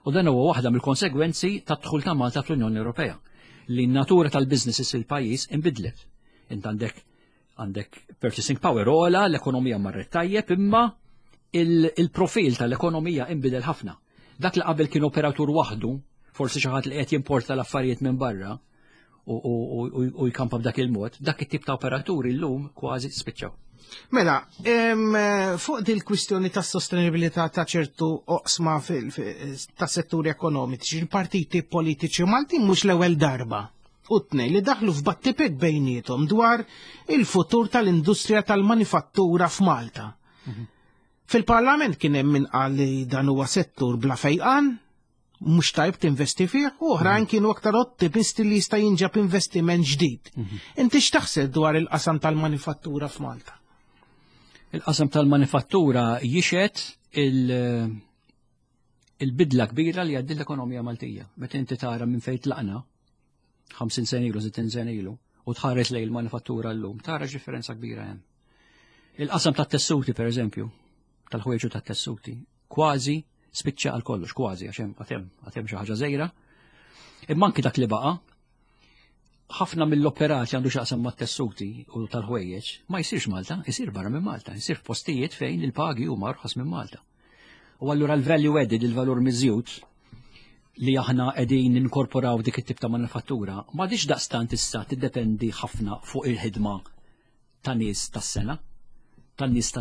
C: U dan huwa waħda mill-konsegwenzi tad-dħul ta' Malta fl-Unjoni Ewropea, li n-natura tal-businesses fil-pajjiż inbidlet. Int għandek għandek purchasing power ogħla, l-ekonomija marret tajjeb, imma il-profil tal-ekonomija inbidel ħafna. Dak li qabel kien operatur waħdu, forsi xi ħadd li qed jimporta l-affarijiet minn barra, u jkampa b'dak il-mod, dak it-tip ta' operaturi llum kważi spiċċaw.
B: Mela, fuq dil kwistjoni ta' sostenibilità ta' ċertu oqsma ta' setturi ekonomiċi, il-partiti politiċi Maltin mhux l-ewwel darba u tnejn li daħlu f'battibek bejniethom dwar il-futur tal-industrija tal-manifattura f'Malta. Mhm. Fil-parlament kien hemm min qal li dan huwa settur bla fejqan, mhux tajb tinvesti fih, u oħrajn mhm. kienu aktar ottimisti li jista' jinġab investiment ġdid. Mhm. Inti x'taħseb dwar il-qasam tal-manifattura f'Malta?
C: Il-qasam tal-manifattura jixhed il- il-bidla kbira li għaddiet l-ekonomija Maltija. Meta inti tara minn fejn tlaqna, ħamsin sena ilu, sittin sena ilu, u tħares lejn il-manifattura llum, tara differenza kbira hemm. Il-qasam tat-tessuti, per eżempju, tal-ħwejġu tat-tessuti, kważi spiċċa għal kollox, kważi, għax hemm għad hemm għad hemm xi ħaġa żgħira. Imma anki dak li baqa', ħafna mill-operat li għandu x'jaqsam mat-tessuti u tal-ħwejjeġ ma jsirx Malta, jsir barra minn Malta, jsir f'postijiet fejn il-pagi huma arħas minn Malta. U allura l-value added, il-valur miżjud li aħna qegħdin ninkorporaw dik it-tip ta' manifattura, m'għadix daqstant issa tiddependi ħafna fuq il-ħidma ta' nies tas-sengħa, tan-nies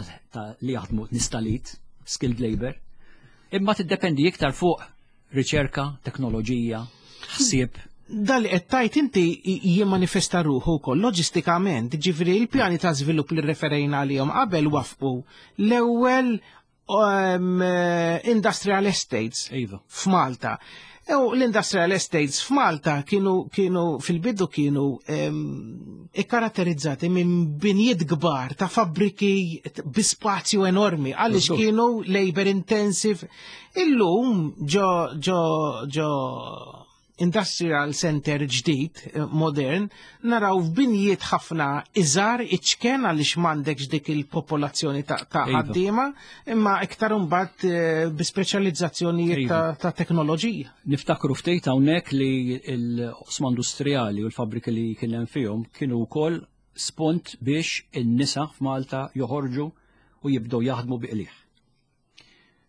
C: li jaħdmu nies tal-id, skilled labor, imma tiddependi iktar fuq riċerka, teknoloġija, ħsieb.
B: Dal li qed tgħid inti jimmanifesta ruħu wkoll loġistikament, ġifieri il-pjani ta' żvilupp li referejna għalihom qabel wafqu l-ewwel um, industrial estates
C: iva.
B: f'Malta. U l-industrial estates f'Malta kienu, kienu fil-bidu kienu um, ikkaratterizzati minn binjiet kbar ta' fabbriki bi spazju enormi għaliex kienu labor intensive. Illum ġo ġo ġo industrial center ġdid, eh, modern, naraw f'binjiet ħafna iżgħar, iċken, għaliex m'għandekx dik il-popolazzjoni ta' ta'
C: Iva.
B: ħaddiema, imma iktar imbagħad eh, bi speċjalizzazzjonijiet
C: Iva.
B: ta', ta' teknoloġija.
C: Niftakru ftit hawnhekk li l-oqsma industrijali u l-fabbriki li kien hemm fihom kienu wkoll spunt biex in-nisa f'Malta joħorġu u jibdew jaħdmu bi qligħ.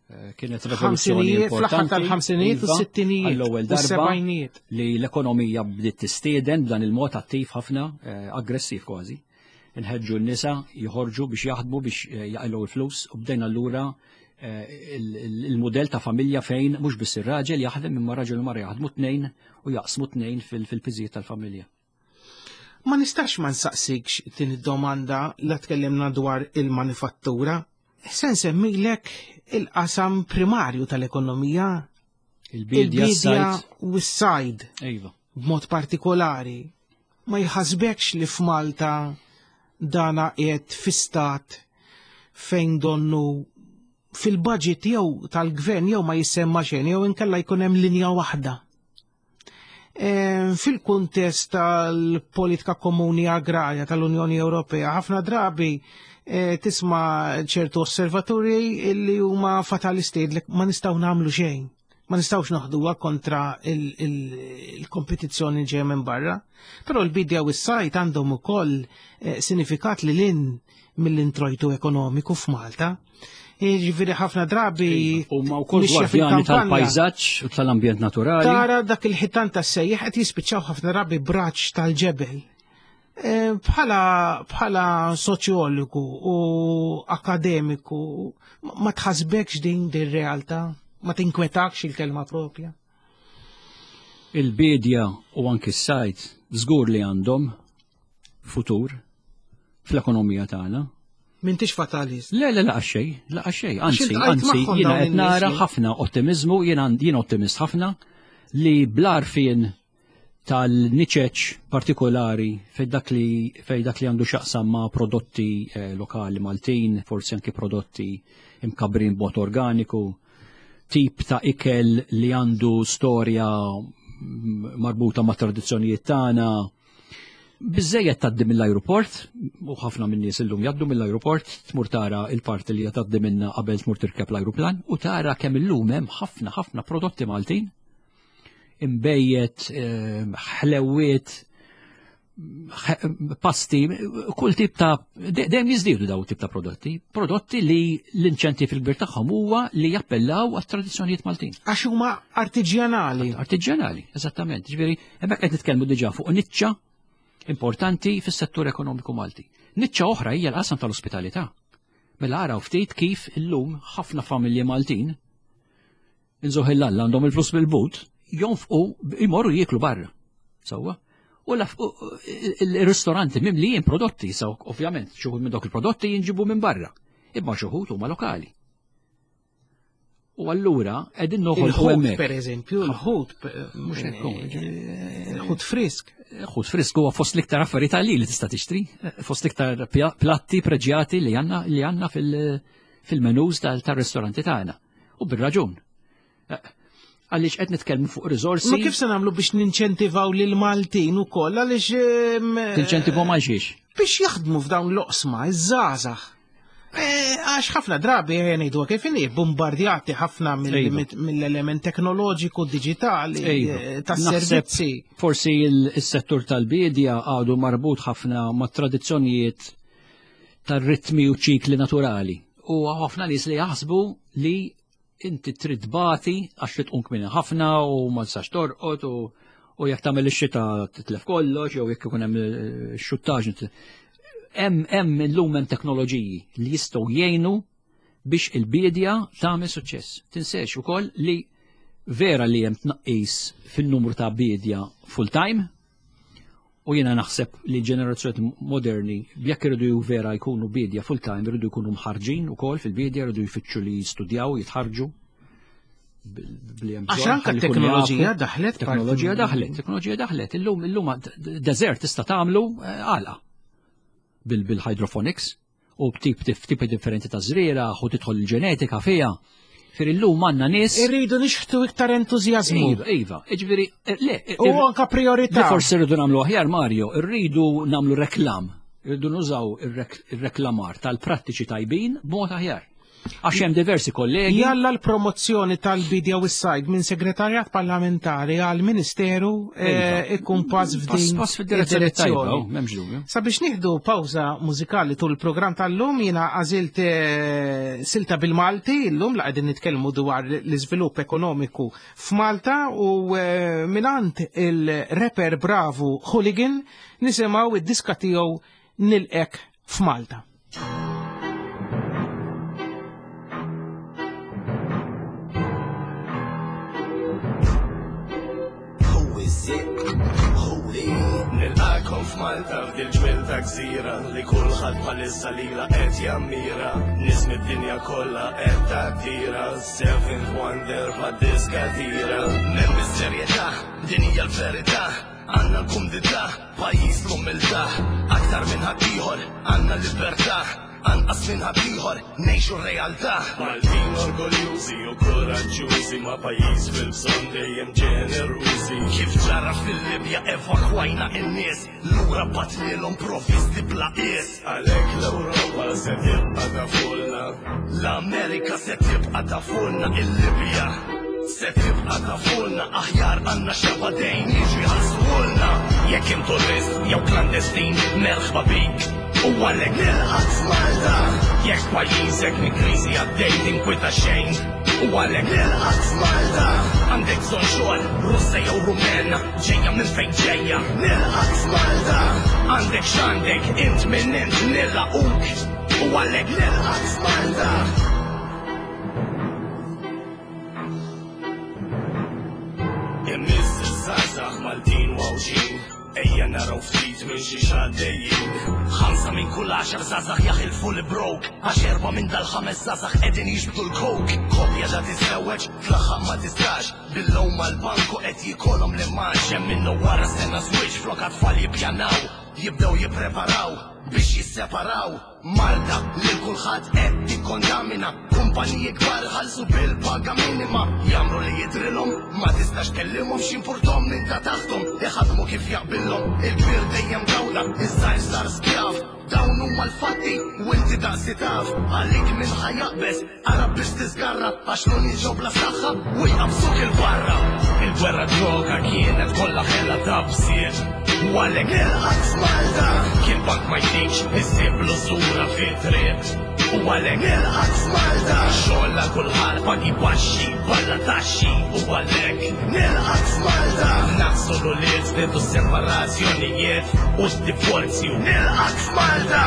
C: Eh, Kienet rivoluzzjoni
B: Ħamsinijiet, fl-aħħar
C: importanti.
B: tal-ħamsinijiet u
C: iva,
B: s-sittinijiet
C: għall-ewwel
B: u
C: darba
B: s-sebgħinijiet.
C: li l-ekonomija bdiet tistieden b'dan il-mod attiv ħafna, eh, aggressiv kważi. Nħeġġu n-nisa joħorġu biex jaħdmu biex eh, jaqilgħu l-flus u bdejna allura eh, il- il- il-modell ta' familja fejn mhux biss ir-raġel jaħdem imma raġel u mara jaħdmu tnejn u jaqsmu tnejn fil- fil-piżijiet tal-familja.
B: Ma nistax ma nsaqsikx din id-domanda la tkellimna dwar il-manifattura. Se nsemmilek il-qasam primarju tal-ekonomija,
C: Il-bidja, s-sajd.
B: u s-sajd
C: Iva.
B: b'mod partikolari. Ma jħasbekx li f'Malta dana qiegħed fi stat fejn donnu fil-budget jew tal-gvern jew ma jissemma xejn jew inkella jkun hemm linja waħda? E, Fil-kuntest tal-politika komuni agrarja tal-Unjoni Ewropea, ħafna drabi e, tisma' ċertu osservaturi illi huma fatalisti li ma nistgħu nagħmlu xejn. Ma nistgħux noħduha kontra il-kompetizzjoni ġejja minn barra. Però l-bidja u s-sajd għandhom ukoll eh, sinifikat lil hinn mill-introjtu ekonomiku f'Malta. Ġifieri ħafna drabi
C: Huma wkoll
B: mixja
C: gwardjani
B: fil-kampanja,
C: tal-pajżaġġ u tal-ambjent naturali.
B: tara dak il-ħitan tas-sejjeħ qed jispiċċaw ħafna drabi braċ tal-ġebel. Eh, Bħala bħala soċjologu u akademiku ma tħasbekx din din realtà? Ma tinkwetakx il-kelma propja?
C: Il-bidja u anki s-sajd żgur li għandhom futur fl-ekonomija tagħna.
B: M'intix fatalist.
C: Le, le, laqas xejn, laqas xejn. Anzi,
B: iltqajt
C: anzi,
B: magħhom
C: jiena
B: dawn
C: qed
B: in-nies
C: nara
B: li-
C: ħafna ottimizmu, jiena jien ottimist ħafna li bl-għarfien tal-niċeċ partikolari fej dak li fej dak li għandu x'jaqsam ma' prodotti eh, lokali Maltin, forsi anki prodotti imkabrin b'mod organiku, tip ta' ikel li għandu storja mm, marbuta ma' tradizzjonijiet tagħna. Biżejjed tgħaddi mill-ajruport, u ħafna minn nies illum jgħaddu mill-ajruport, tmur tara il-parti li tgħaddi minna qabel tmur tirkeb l-ajruplan, u tara kemm illum hemm ħafna ħafna prodotti Maltin, imbejjed, eh, ħlewiet, pasti, kull tip ta' dejjem jiżdiedu daw tip ta' prodotti, prodotti li l-inċentiv il-kbir tagħhom huwa li jappellaw għat-tradizzjonijiet Maltin.
B: Għax huma artiġjanali.
C: Artiġjanali, eżattament. Ġifieri, hemmhekk qed nitkellmu diġà fuq niċċa importanti fis-settur ekonomiku Malti. Niċċa oħra hija l-qasam tal-ospitalità. Mela araw ftit kif illum ħafna familji Maltin inżuħ il-alla għandhom il-flus bil-but, jonfqu imorru jieklu barra. Sewwa? U il-ristoranti mimlijin prodotti, so ovvjament xi wħud minn dawk il-prodotti jinġibu minn barra, imma xi wħud huma lokali. U allura qegħdin noħolqu hemmhekk.
B: Per eżempju, il-ħut,
C: mhux hekk
B: il-ħut frisk.
C: Ħut frisk huwa fost l-iktar affarijiet għalli li tista' tixtri, fost l-iktar platti preġjati li għandna li għandna fil-menus tal-ristoranti tagħna. U bir-raġun. Għaliex qed nitkellmu fuq riżorsi.
B: Ma kif se nagħmlu biex ninċentivaw lil Maltin ukoll għaliex
C: Tinċentivaw ma xiex?
B: Biex jaħdmu f'dawn l-oqsma, iż-żgħażagħ. Għax ħafna drabi ngħidu kif inhi bombardjati ħafna mill-element teknoloġiku diġitali tas-servizzi.
C: Forsi il-settur tal-bidja għadu marbut ħafna ma' tradizzjonijiet tar-ritmi u ċikli naturali. U ħafna nies li jaħsbu li inti trid bati għax trid tqum kmieni ħafna u ma tistax torqod u jekk tagħmel ix-xita titlef kollox jew jekk ikun hemm xuttaġ. Hemm hemm illum hemm teknoloġiji li jistgħu jgħinu biex il-bidja tagħmel suċċess. Tinsex ukoll li vera li hemm tnaqqis fin-numru ta' bidja full time u jiena naħseb li ġenerazzjoni moderni jekk iridu vera jkunu bidja full time iridu jkunu mħarġin ukoll fil-bidja, iridu jfittxu li jistudjaw, jitħarġu.
B: Għax anke t-teknoloġija daħlet.
C: Teknoloġija daħlet, teknoloġija daħlet. Illum illum deżert tista' tagħmlu għalqa bil-hydroponics u b'tip tipi differenti ta' żriera u tidħol il-ġenetika fiha. Fir illum għandna nies.
B: Irridu nixħtu iktar entużjażmu.
C: Iva, iva, jiġifieri le.
B: U anke priorità.
C: Li forsi rridu nagħmlu aħjar Mario, irridu nagħmlu reklam. Irridu nużaw ir-reklamar tal-prattiċi tajbin b'mod aħjar. Għax hemm diversi kollegi.
B: Jalla l-promozzjoni tal-bidja u s-sajd minn segretarjat parlamentari għal ministeru ikun pass f'din
C: pass fid-direzzjoni tajba, m'hemmx dubju.
B: Sabiex nieħdu pawża mużikali tul il-programm tal-lum jiena għażilt silta bil-Malti illum la qegħdin nitkellmu dwar l-iżvilupp ekonomiku f'Malta u mingħand il-rapper bravu Hooligan nisimgħu id-diska tiegħu Nilqek f'Malta.
D: Nilqakom f'Malta f'dil ġmiel ta' gżira li kulħadd bħalissa lilha qed jammira. Nies mid-dinja kollha qed tattira, seventh wonder bħad-diska tira. M'hemm is-serjetà, din hija l-verità, għandna l-kumdità, pajjiż l-umiltà. Aktar minn ħaddieħor għandna libertà, anqas minn ħaddieħor ngħixu r-realtà. Maltin orgoljużi u koraġġjużi ma' pajjiż fil-bżonn dejjem ġenerużi. Kif ġara fil-Libja evakwajna n-nies, lura batnilhom provvisti bla qies. Għalhekk l-Ewropa se tibqa' tafulna, l-Amerika se tibqa' tafulna, il-Libja se tibqa' tafulna, aħjar għandna xeba dejn jiġu jħallsuhulna. Jekk int turist jew klandestin, merħba bik. U għalhekk nilqak f'Malta. Jekk pajjiżek minn kriżi għaddej tinkwita xejn, u għalhekk nilqak f'Malta. Għandek bżonn xogħol, Russa jew Rumena, ġejja minn fejn ġejja, nilqak f'Malta. Għandek x'għandek, int minn int nilaquk, u għalhekk nilqak f'Malta. Imiss iż-żgħażagħ Maltin u Għawdxin, ejja naraw ftit minn xi xaddejjin. Ħamsa minn kull għaxar żgħażagħ jaħilfu l-brok, għax erba' minn dal-ħames żgħażagħ qegħdin jiġbdu l-coke. Kopja da tiżewweġ, tlaħħaq ma tistax, bil-lewm mal-banku qed jikolhom l-imgħax. Hemm minnu wara sena żwieġ flok tfal jippjanaw, jibdew jippreparaw biex jisseparaw. Malta lil kulħadd qed tikkondamina, kumpaniji kbar ħallsu bil-paga minima. Jagħmlu li jidrilhom, ma tistax tkellimhom x'impurthom minn ta' taħthom, iħadmu kif jaqbilhom. Il-kbir dejjem dawla, iż-żgħir sar skjav. Dawn huma l-fatti u inti daqsi taf. Għalik minn ħajaqbeż, ara biex tiżgarra, għax l ġew bla saħħa u jqabsuk il-barra. Il-gwerra droga kienet kollha ħela ta' bsiet, U għalhekk nilqak f'Malta. Kien bank ma jtikx issib l-użura fit-triq. U għalhekk nilqak f'Malta. Xogħol għal kulħadd, pagi baxxi, balla taxxi. U għalhekk nilqak f'Malta. Naqsu l-ulied, żdiedu separazzjonijiet u d-divorzju. Nilqak f'Malta.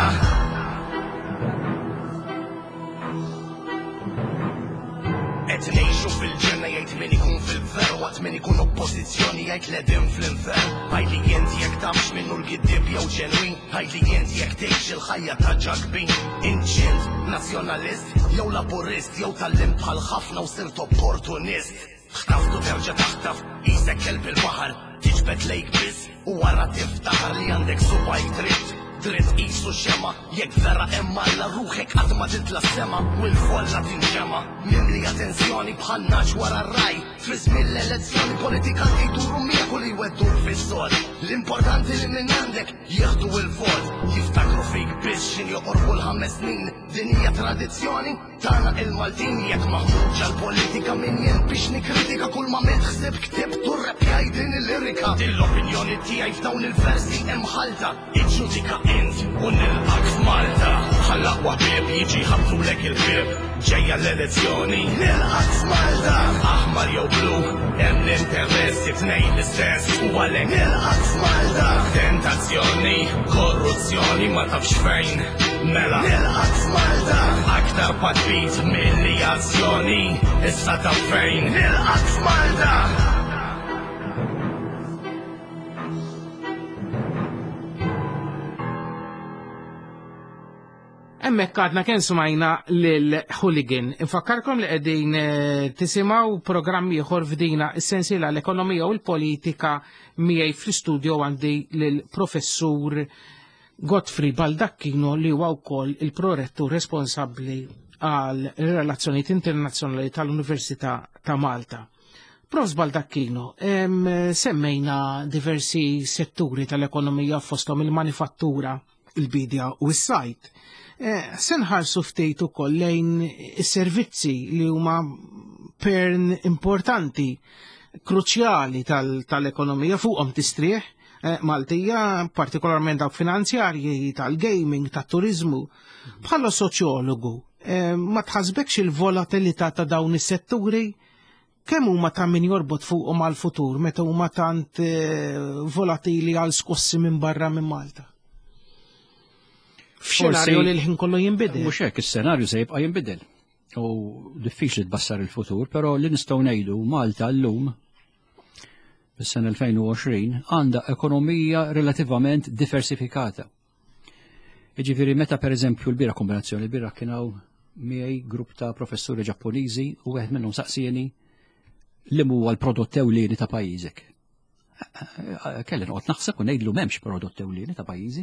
D: Qed ngħixu fil-ġenna jgħid min ikun fil-gvern, waqt min ikun oppożizzjoni jgħid l-edim fl-infern. Għidli int jekk tafx minnu l-giddib jew ġenwin, għidli int jekk tgħix il-ħajja ta' ġakbin. Int x'int, nazzjonalist jew laburist, jew tallimt bħal ħafna u sirt opportunist. Ħtaftu terġa' taħtaf, qisek kelb il-baħar, tiġbed lejk biss u wara tiftaħar li għandek subgħajk dritt. Dritt qisu xema, jekk vera hemm Alla ruħek qatt ma titla' sema u l-folla tinġema. Mimlija tensjoni bħal naġ wara r-raj, fi żmien l-elezzjoni politikanti jduru miegħek u li jwedduk fis-sod. L-importanti li minn għandek jieħdu l-vot, jiftakru fik biss x'in joqorbu l-ħames snin. Din hija tradizzjoni tagħna il-Maltin, jekk maħmuġ għall-politika min jien biex nikkritika kull ma għamilt ħsieb ktibt u rrepjaj din il-lirika. Din l-opinjoni tiegħi f'dawn il-versi hemm ħalta, iġġudika int u nilqak f'Malta. Bħall-aqwa ħbieb jiġi ħabtulek il-ħbieb, ġejja l-elezzjoni nilqak f'Malta. Aħmar jew blu, hemm l-interessi tnejn l-istess u għalhekk nilqak f'Malta. Tentazzjoni, korruzzjoni ma tafx fejn, mela nilqak f'Malta. Aktar patrit milli azzjoni, issa taf fejn nilqak f'Malta.
B: Hemmhekk għadna kien smajna lil Hooligan. Infakkarkom li qegħdin tisimgħu programm ieħor f'dina is-sensiela l-ekonomija u l-politika miegħi fl-istudio għandi lil professur Godfrey Baldacchino li huwa wkoll il-prorettur responsabbli għal relazzjonijiet internazzjonali tal-Università ta' Malta. Prof Baldacchino, semmejna diversi setturi tal-ekonomija fosthom il-manifattura, il-bidja u s-sajt. Se nħarsu ftit ukoll lejn is-servizzi li huma pern importanti, kruċjali tal-ekonomija, fuqhom tistrieħ Maltija, partikolarment dawk finanzjarji, tal-gaming, tat-turiżmu. Bħala soċjologu, ma tħasbekx il-volatilità ta' dawn is-setturi? Kemm huma ta' min jorbot fuqhom għall-futur meta huma tant volatili għal skossi minn barra minn Malta? F'xenarju li l-ħin kollu jinbidel.
C: Mhux hekk, is-senarju se jibqa' jinbidel. U diffiċli tbassar il-futur, però li nistgħu ngħidu Malta llum fis-sena elfejn u għoxrin għandha ekonomija relativament diversifikata. Jiġifieri meta pereżempju l-bira kombinazzjoni, l-bira kien hawn miegħi grupp ta' professuri Ġappuniżi u wieħed minnhom saqsieni li huwa l-prodott ewlieni ta' pajjiżek. Kelli noqgħod naħseb u ngħidlu m'hemmx prodott ewlieni ta' pajjiżi.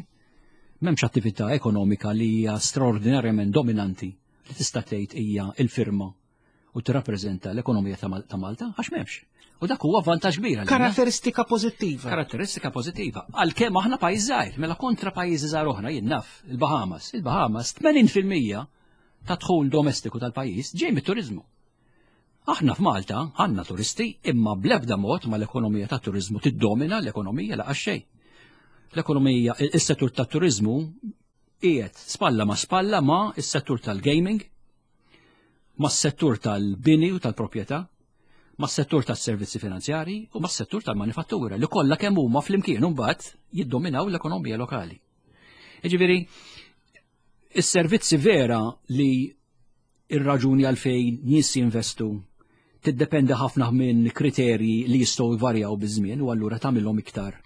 C: M'hemmx attività ekonomika li hija straordinarjament dominanti li tista' tgħid hija l-firma u tirrappreżenta l-ekonomija ta' Malta, għax m'hemmx. U dak huwa vantaġġ kbir għalina.
B: Karatteristika pożittiva.
C: Karatteristika pożittiva. Għalkemm aħna pajjiż żgħir, mela kontra pajjiżi żgħar oħra jien naf, il-Bahamas. Il-Bahamas tmenin fil-mija ta' dħul domestiku tal-pajjiż ġej mit-turiżmu. Aħna f'Malta għandna turisti imma bl-ebda mod ma l-ekonomija tat-turiżmu tiddomina l-ekonomija laqas xejn. L-ekonomija, is-settur tat-turiżmu qiegħed spalla ma' spalla ma' is-settur tal-gaming, ma' s-settur tal-bini u tal-proprjetà, ma' s-settur tas-servizzi finanzjari u ma' s-settur tal-manifattura li kollha kemm huma flimkien imbagħad jiddominaw l-ekonomija lokali. Jiġifieri, is-servizzi vera li ir-raġuni għalfejn nies jinvestu tiddependi ħafna minn kriterji li jistgħu jvarjaw biż-żmien u allura tagħmilhom iktar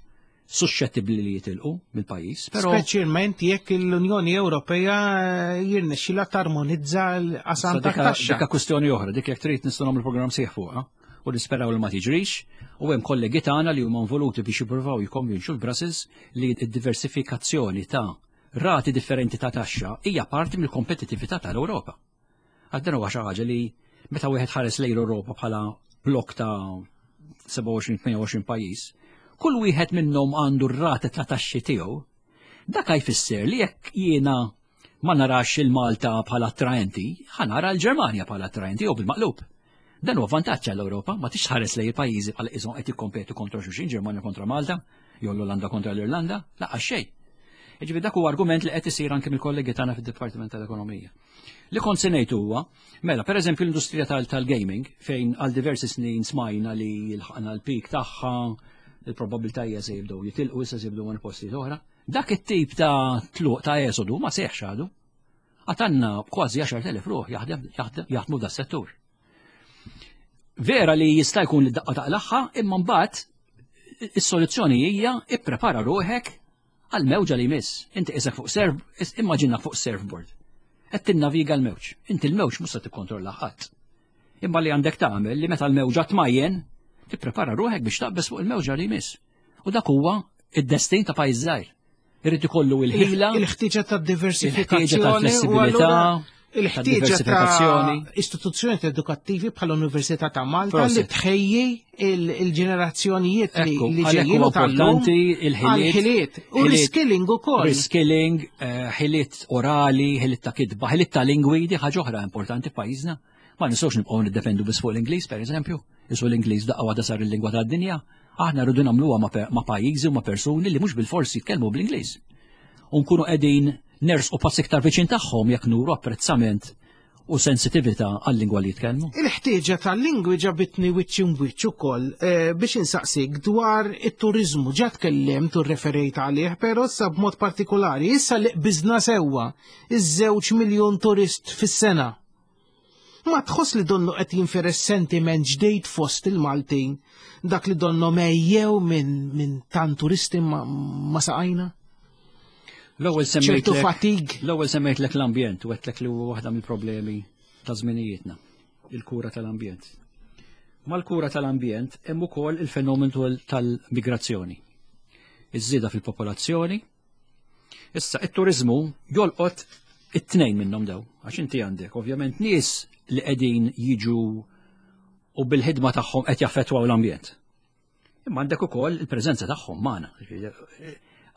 C: suscettibbli li jitilqu mill-pajjiż. Però
B: speċjalment jekk l-Unjoni Ewropea jirnexxilha tarmonizza l-qasam tat-taxxa.
C: Dikka kwistjoni oħra, dik jekk trid nistgħu nagħmlu programm sieħ fuqha u nisperaw li ma tiġrix, u hemm kollegi tagħna li huma involuti biex jippruvaw jikkonvinċu l-Brussels li d-diversifikazzjoni ta' rati differenti ta' taxxa hija parti mill-kompetittività tal-Ewropa. Għad dan huwa xi ħaġa li meta wieħed ħares lejn l-Ewropa bħala blok ta' sebgħa u għoxrin, tmien u għoxrin pajjiż, kull wieħed minnhom għandu r-rata ta' taxxi tiegħu, dak jfisser li jekk jiena ma narax il-Malta bħala attraenti, ħanara l-Ġermanja bħala attraenti jew bil-maqlub. Dan huwa vantaġġ għall-Ewropa, ma tix ħares lejn il-pajjiżi bħala qishom qed jikkompetu kontra xulxin, Ġermanja kontra Malta, Jew l-Olanda kontra l-Irlanda, lanqas xejn. Jiġifieri dak huwa argument li qed isir anke mill-kollegi tagħna fid-Dipartiment tal-Ekonomija. Li kont se ngħid huwa, mela, pereżempju l-industrija tal-gaming, fejn għal diversi snin smajna li lħaqna l-peak tagħha, il-probabilità hija se jibdew jitilqu, issa se jibdew minn postijiet oħra. Dak it-tip ta' tluq ta' esodu ma seħx għadu. Għad għandna kważi għaxart elef ruħ jaħdmu da settur. Vera li jista' jkun li daqqa taqlagħha, imma mbagħad is-soluzzjoni hija ipprepara ruħek għal mewġa li jmiss. Inti isek fuq surf, immaġina fuq surfboard. Qed tinnaviga l-mewġ. Inti l-mewġ mhux se tikkontrolla ħadd. Imma li għandek tagħmel li meta l-mewġa tmajjen, tipprepara ruħek biex taqbeż fuq il-mewġa li jmiss. U dak huwa id-destin ta' pajjiż żgħir. Irid ikollu il-ħila,
B: il-ħtieġa ta'
C: il-ħtieġa
B: diversifikazzjoni
C: ta'
B: u
C: flessibilità,
B: allura il-ħtieġa ta'
C: diversifikazzjoni.
B: istituzzjoni edukattivi bħal Università ta' Malta li
C: Prosit.
B: tħejji il- il-ġenerazzjonijiet li
C: Ekku,
B: li
C: għalhekk
B: ġejjin
C: huwa
B: u tal-lum
C: importanti il-ħiliet.
B: għal-ħiliet u
C: ħiliet-
B: reskilling ukoll.
C: Reskilling, eh, ħiliet orali, ħiliet ta' kitba, ħiliet ta' lingwi, di ħaġa oħra importanti f'pajjiżna. Ma nistgħux nibqgħu niddependu biss fuq l-Ingliż, pereżempju. Isu l-Ingliż daqqa waħda sar il-lingwa tad-dinja. Aħna rridu nagħmluha ma' pe- ma' pajjiżi u ma' persuni li mhux bil-forsi jitkellmu bl-Ingliż. U nkunu qegħdin nersqu pass iktar viċin tagħhom jekk nuru apprezzament u sensitività għal-lingwa li jitkellmu.
B: Il-ħtieġa tal-lingwi ġabitni wiċċ imwiċċ ukoll eh, biex insaqsik dwar it-turizmu. Ġa tkellimt u referejt għalih, però issa b'mod partikolari, issa li qbiżna sewwa iż-żewġ miljun turist fis-sena. Ma tħoss li donnu qed jinferes sentiment ġdejt fost il-Maltin, dak li donnu mejjew minn min tant turisti ma, ma saqajna?
C: L-ewwel
B: ċertu
C: semmejtlek
B: fatigue.
C: L-ewwel semmejtlek l-ambjent u għedtlek li huwa waħda mill-problemi ta' żminijietna, il-kura tal-ambjent. Mal-kura tal-ambjent hemm ukoll il-fenomenu tal-migrazzjoni. Iż-żieda fil-popolazzjoni. Issa it-turizmu jolqot it-tnejn minnhom daw, għax inti għandek ovvjament nies li qegħdin jiġu u bil-ħidma tagħhom qed jaffettwaw l-ambjent. Imma għandek ukoll il-preżenza tagħhom magħna.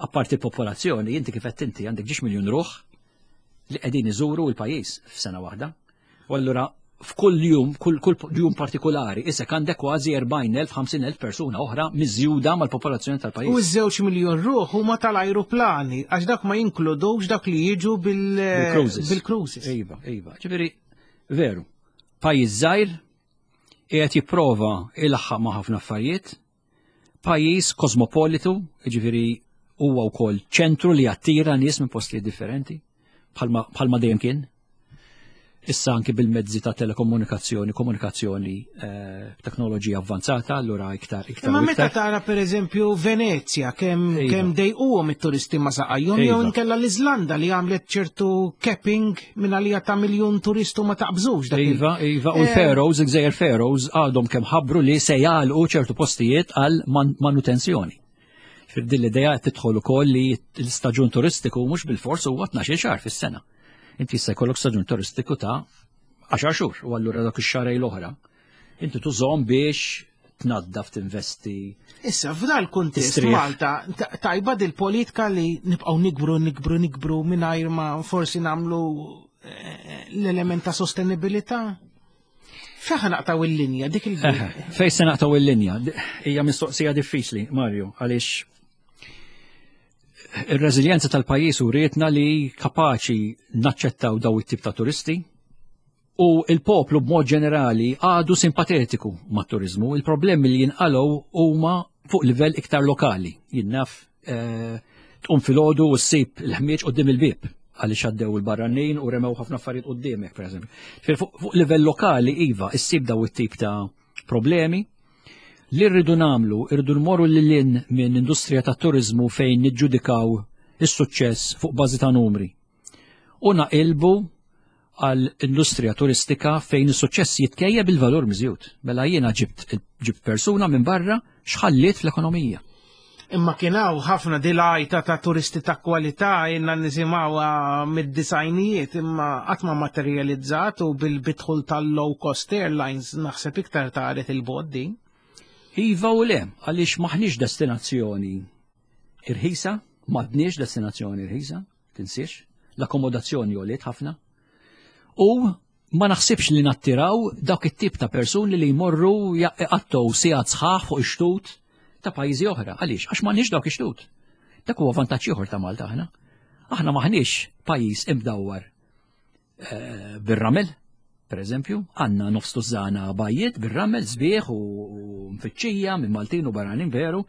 C: Apparti il-popolazzjoni, inti kif qed inti għandek ġiex miljun ruħ li qegħdin iżuru l-pajjiż f'sena waħda. U allura f'kull jum, kull, kull jum partikolari, isek għandek kważi erbgħin elf, ħamsin elf persuna oħra miżjuda mal-popolazzjoni
B: U
C: tal-pajjiż.
B: ż-żewġ miljon ruħ huma tal-ajruplani, għax dak ma jinkludux dak li jiġu bil-
C: Bil-cruises.
B: bil-cruises.
C: Iva, iva. Ġifieri, veru, pajjiż żgħir qiegħed jipprova ilaħħaq ma' ħafna affarijiet, pajjiż kosmopolitu, ġifieri huwa wkoll ċentru li jattira nies minn postijiet differenti, bħalma bħalma dejjem kien. Issa anki bil-mezzi ta' telekomunikazzjoni, komunikazzjoni, eh, teknoloġija avvanzata, allura iktar iktar.
B: Imma
C: u
B: meta
C: iktar.
B: tara per eżempju Venezia, kemm
C: Iva.
B: kemm dejquhom it-turisti ma saqajhom, jew
C: Iva.
B: inkella l-Iżlanda li għamlet ċertu capping minn għalija ta' miljun turistu ma taqbżux dak il-
C: Iva, iva, u
B: Eh,
C: l-Faroes, il-Gżejjer Faroes għadhom kemm ħabbru li se jagħlqu ċertu postijiet għal man- manutenzjoni. Fir din l-idea qed tidħol ukoll li l-istaġun turistiku mhux bil-fors huwa tnax-il xahar fis-sena. Inti jista' jkollok staġun turistiku ta' għaxar xhur u allura dak ix-xahrejn l-oħra. Inti tużhom biex tnaddaf, tinvesti.
B: Issa, f'dal kuntest
C: Tistrieħ.
B: Malta, ta- tajba dil-politika li nibqgħu nikbru, nikbru, nikbru mingħajr ma forsi nagħmlu eh, l-element ta' sostenibilità? Fejn naqtaw il-linja, dik il
C: Fej se naqtaw il-linja? Hija mistoqsija diffiċli, Mario, għaliex ir-reżiljenza tal-pajjiż urietna li kapaċi naċċettaw daw it-tip ta' turisti u il-poplu b'mod ġenerali għadu simpatetiku mat-turizmu. Il-problemi li jinqalgħu huma fuq livell iktar lokali. Jien naf eh, tqum filgħodu u ssib il-ħmieġ quddiem il-bieb għaliex għaddew il-barranin u remew ħafna affarijiet quddiemek, per eżempju. Fuq fuq livell lokali, iva, issib daw it-tip ta' problemi. Li rridu nagħmlu, irridu nmorru lil hinn minn industrija ta' turizmu fejn niġġudikaw is-suċċess fuq bażi ta' numri. U naqilbu għal industrija turistika fejn is-suċċess jitkejjel bil-valur miżjud. Mela jiena ġibt ġibt persuna minn barra, x'ħalliet fl-ekonomija?
B: Imma kien hawn ħafna dilajta ta' turisti ta' kwalità jenna nisimgħuha mid-disgħinijiet, imma qatt ma materializzat u bil-bidħul tal-low cost airlines naħseb iktar taret il-boddi.
C: Iva u le, għaliex maħniex destinazzjoni irħisa, m'għadniex destinazzjoni irħisa, tinsiex, l-akkomodazzjoni għoliet ħafna. U ma naħsibx li nattiraw dawk it-tip ta' persuni li jmorru jqattgħu sigħat sħaħ fuq ix-xtut. ta' pajjiżi oħra. Għaliex? Għax m'għandniex dawk ix-xtut. Dak huwa vantaġġ ieħor ta' Malta aħna. Aħna maħniex pajjiż imdawwar eh, bir-ramel, per eżempju, għandna nofs tużana bajjiet bir-ramel sbieħ u mfittxija minn Maltin u barranin veru,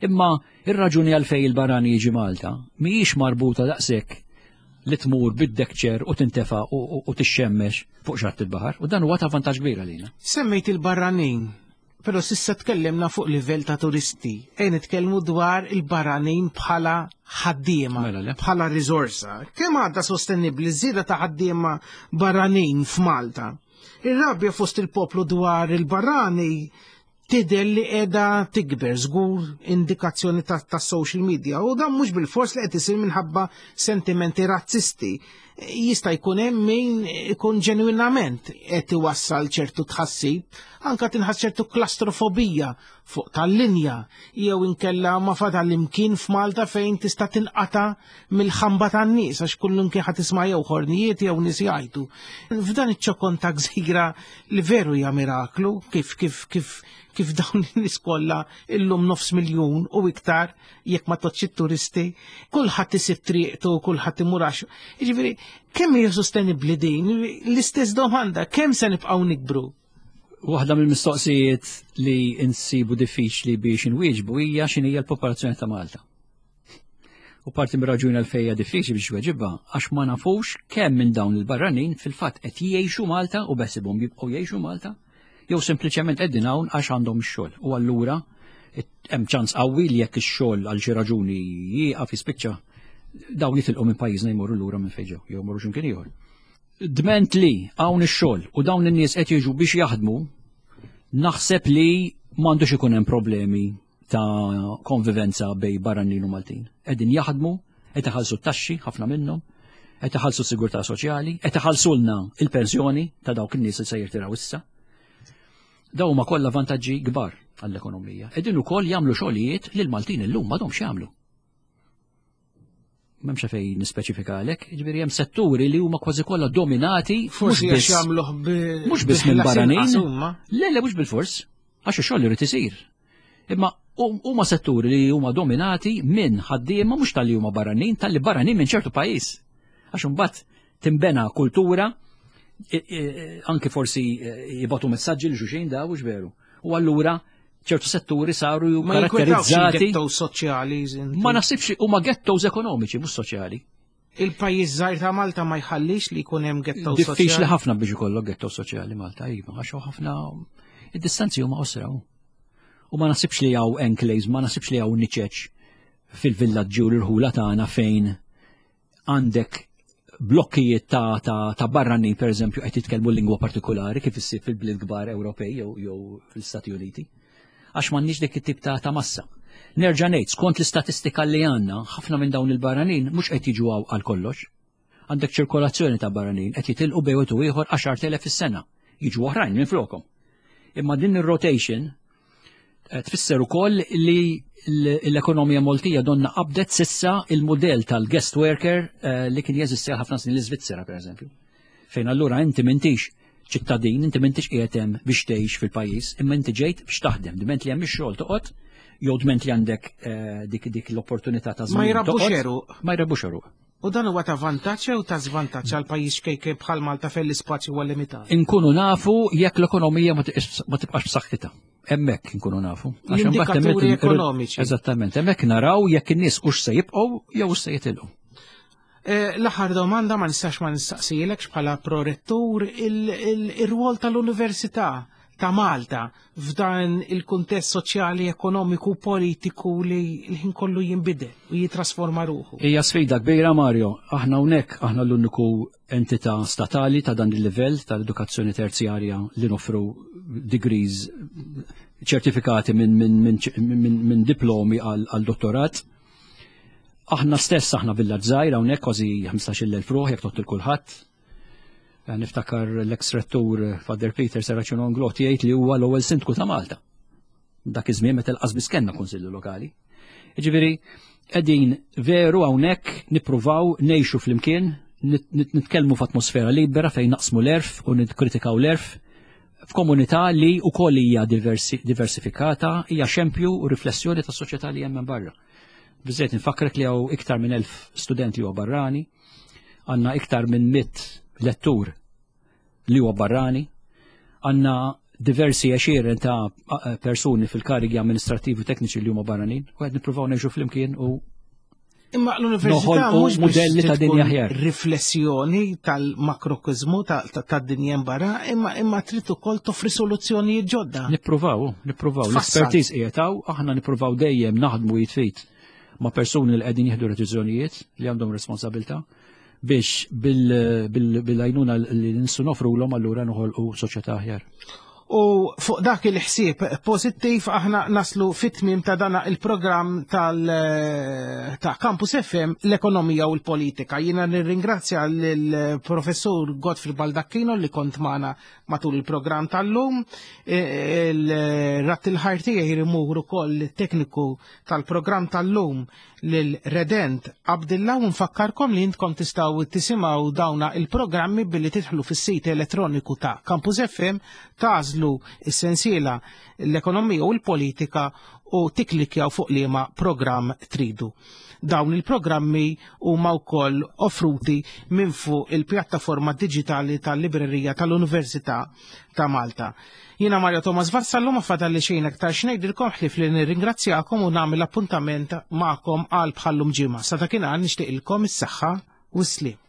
C: imma ir-raġuni għalfejn il-barrani jiġi Malta mhijiex marbuta daqshekk li tmur bid-deck chair u tintefa u tixxemmex fuq xatt il-baħar u dan huwa ta' vantaġġ kbir għalina.
B: Semmejt il-barranin, però s'issa tkellimna fuq livell ta' turisti. E nitkellmu dwar il-barranin bħala ħaddiema,
C: Mela le.
B: bħala riżorsa. Kemm għadha sostenibbli żieda ta' ħaddiema barranin f'Malta? Ir-rabja fost il-poplu dwar il-barrani tidher li qiegħda tikber żgur indikazzjoni ta', ta' social media u dan mhux bil-fors li qed isir minħabba sentimenti razzisti. Jista' jkun hemm min ikun ġenwinament qed iwassal ċertu tħassib, anka tinħass ċertu klastrofobija fuq tal-linja jew inkella ma fadal imkien f'Malta fejn tista' tinqata' mill-ħamba tan-nies għax kullum kien ħadd tisma' jew ħornijiet jew nies jgħidu. F'dan iċ-ċokon ta' gżira li veru hija miraklu kif kif kif kif dawn in-nies kollha illum nofs miljun u iktar jekk ma tgħoddx it-turisti, kulħadd isib triqtu, kulħadd imur għax. Jiġifieri, kemm hija sostenibbli din? L-istess domanda, kemm se nibqgħu nikbru?
C: Waħda mill-mistoqsijiet li insibu diffiċli biex inwieġbu hija x'inhi l-popolazzjoni ta' Malta. U parti mir-raġuni għalfejn hija diffiċli biex tweġibha għax ma nafux kemm minn dawn il-barranin fil-fatt qed jgħixu Malta u beħsiebhom jibqgħu jgħixu Malta, jew sempliċement qegħdin hawn għax għandhom ix-xogħol. U allura hemm ċans qawwi li jekk ix-xogħol għal xi raġuni jieqaf jispiċċa dawn jitilqu minn pajjiżna jmorru lura minn fejn ġew, jew jmorru x'imkien ieħor. Dment li hawn ix-xogħol u dawn in-nies qed jiġu biex jaħdmu, naħseb li m'għandux ikun hemm problemi ta' konvivenza bejn barranin u Maltin. Qegħdin jaħdmu, qed iħallsu t-taxxi ħafna minnhom, qed iħallsu s-sigurtà soċjali, qed iħallsulna il-pensjoni ta' dawk in-nies li se jirtiraw issa. Dawn huma kollha vantaġġi kbar għall-ekonomija. Qegħdin ukoll jagħmlu xogħlijiet li l-Maltin illum m'għadhomx jagħmlu. M'hemmx fejn nispeċifikalek, jiġifieri hemm setturi li huma kważi kollha dominati
B: Forsi
C: mhux
B: għax
C: biss
B: jagħmluh bi
C: mhux biss minn
B: bi ħlas
C: barranin.
B: inqas huma.
C: Le, le, mhux bil-fors, għax ix-xogħol irid isir. Imma huma setturi li huma dominati minn ħaddiema mhux tal-li huma barranin, tal-li barranin minn ċertu pajjiż. Għax imbagħad timbena kultura, i- i- anke forsi eh, jibagħtu messaġġi lil xulxin da mhux veru. U allura ċertu setturi saru
B: Ma jinkwetawx
C: karatterizzati.
B: il-ghetto soċjali.
C: Ma naħsibx huma ghettos ekonomiċi, mhux soċjali.
B: Il-pajjiż żgħir ta' Malta ma jħallix li jkun hemm ghetto
C: Diffiċli
B: soċjali.
C: ħafna biex ikollok ghetto soċjali Malta, iva, għax hawn ħafna id-distanzi huma qosra. U ma naħsibx li hawn enclaves, ma naħsibx li hawn niċeċ fil-villaġġi u l-irħula tagħna fejn għandek blokkijiet ta', ta, ta' barranin per eżempju qed jitkellmu lingwa partikolari kif issib fil-bliet kbar Ewropej jew jew fil-Stati Uniti. Għax m'għandniex dik it-tip ta', ta' massa. Nerġa' ngħid, skont l-istatistika li għandna, ħafna minn dawn il-barranin mhux qed jiġu hawn għal kollox. Għandek ċirkolazzjoni ta' barranin qed jitilqu bejn wieħed u ieħor għaxart elef fis-sena. Jiġu oħrajn minn flokhom. Imma din ir-rotation eh, tfisser ukoll li l- l-ekonomija Maltija donna qabdet s'issa il-modell tal-guest worker eh, li kien jeżisti għal ħafna snin l-Iżvizzera pereżempju. Fejn allura inti m'intix ċittadin, inti m'intix qiegħed hemm biex tgħix fil-pajjiż, imma inti ġejt biex taħdem, diment li hemm ix-xogħol toqgħod, jew dment li għandek eh, dik dik l-opportunità ta'
B: Ma
C: żmien
B: jrabbux
C: toqgħod,
B: għeruq.
C: Ma jrabbux għeruq.
B: U dan huwa ta' vantaġġ jew ta' żvantaġġ għal pajjiż ċkejken bħal Malta fejn l-ispazju huwa limitat.
C: Inkunu nafu jekk l-ekonomija ma tiqis- ma tibqax b'saħħitha. Hemmhekk inkunu nafu. Għax imbagħad
B: L-indikaturi
C: hemmhekk-
B: ekonomiċi.
C: Eżattament, hemmhekk naraw jekk in-nies hux se jibqgħu jew hux se jitilqu.
B: Eh, L-aħħar domanda ma nistax ma nistaqsilekx bħala prorettur il-rwol tal-Università ta' Malta f'dan il-kuntest soċjali, ekonomiku, politiku li l-ħin kollu jinbidel u jitrasforma ruħu.
C: Hija sfida kbira Mario, aħna hawnhekk aħna l-uniku entità statali ta' dan il-livell tal-edukazzjoni terzjarja li noffru degrees ċertifikati minn min, min, min, min diplomi għal għal dottorat. Aħna stess aħna villaġġ żgħir hawnhekk kważi ħmistax-il elf ruħ jekk tgħodd lil kulħadd. Eh, Niftakar l-ex rettur Father Peter Serracino Inglott jgħid li huwa l-ewwel sindku ta' Malta. Dak iż-żmien meta lanqas biss kellna kunsillu lokali. Jiġifieri qegħdin veru hawnhekk nippruvaw ngħixu flimkien, nit- nit- nitkellmu f'atmosfera libera fejn naqsmu l-għerf u nikkritikaw l-għerf. F'komunità li wkoll hija diversi, diversifikata, hija xempju u riflessjoni tas-soċjetà li hemm barra. Biżżejjed nfakkrek li hawn iktar minn elf student li huwa barrani, għandna iktar minn mitt lettur li huwa barrani, għandna diversi għexieren ta' persuni fil-karigi amministrativi u tekniċi li huma barranin, u qed nippruvaw ngħixu flimkien u
B: Imma l-università
C: noħolqu
B: mhux biex
C: modelli ta'
B: tkun
C: dinja aħjar.
B: Riflessjoni tal-makrokosmu tad-dinja barra, imma imma trid ukoll toffri soluzzjonijiet ġodda.
C: Nippruvaw, nippruvaw.
B: Tfassal.
C: L-expertise qiegħed hawn, aħna nippruvaw dejjem naħdmu id f'id ma' persuni li qegħdin jieħdu deċiżjonijiet li għandhom responsabilità biex bil- bil- bil-għajnuna li nistgħu noffrulhom allura noħolqu soċjetà aħjar.
B: U fuq dak il-ħsieb pożittiv aħna naslu fit-tmiem ta' dana il-programm tal ta' Campus F M, l-ekonomija u l-politika. Jiena nirringrazzja lill-professur Godfrey Baldacchino li kont magħna matul il-programm tal-lum. Il-radd il-ħajr tiegħi jmur ukoll tekniku tal-programm tal-lum lil Redent Abdillah, u nfakkarkom li intkom tistgħu tisimgħu dawna il-programmi billi tidħlu fis-sit elettroniku ta' Campus F M, tagħżlu is-sensiela l-ekonomija u l-politika u tikklikkjaw fuq liema programm tridu. Dawn il-programmi huma wkoll offruti minn fuq il-pjattaforma digitali tal-Librerija tal-Università ta' Malta. Jiena Mario Thomas Vassallo, ma fadalli xejn aktar x'ngħidilkom ħlief li nirringrazzjakom u nagħmel appuntament magħkom għal bħallum ġimgħa. Sa dakinhar nixtieqilkom is-saħħa u s-sliem.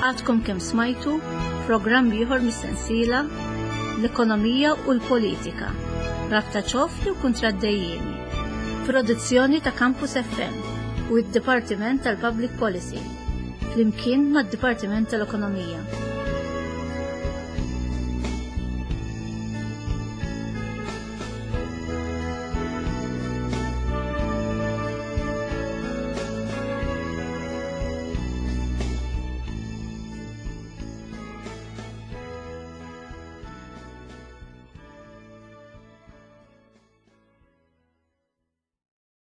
A: Għadkom kemm smajtu programm ieħor mis-sensiela l-ekonomija u l-politika. Rabta ċoff jew kuntratt dejjiemi. Produzzjoni ta' Campus F M u d-Dipartiment tal-Public Policy. Flimkien mad-Dipartiment tal-Ekonomija.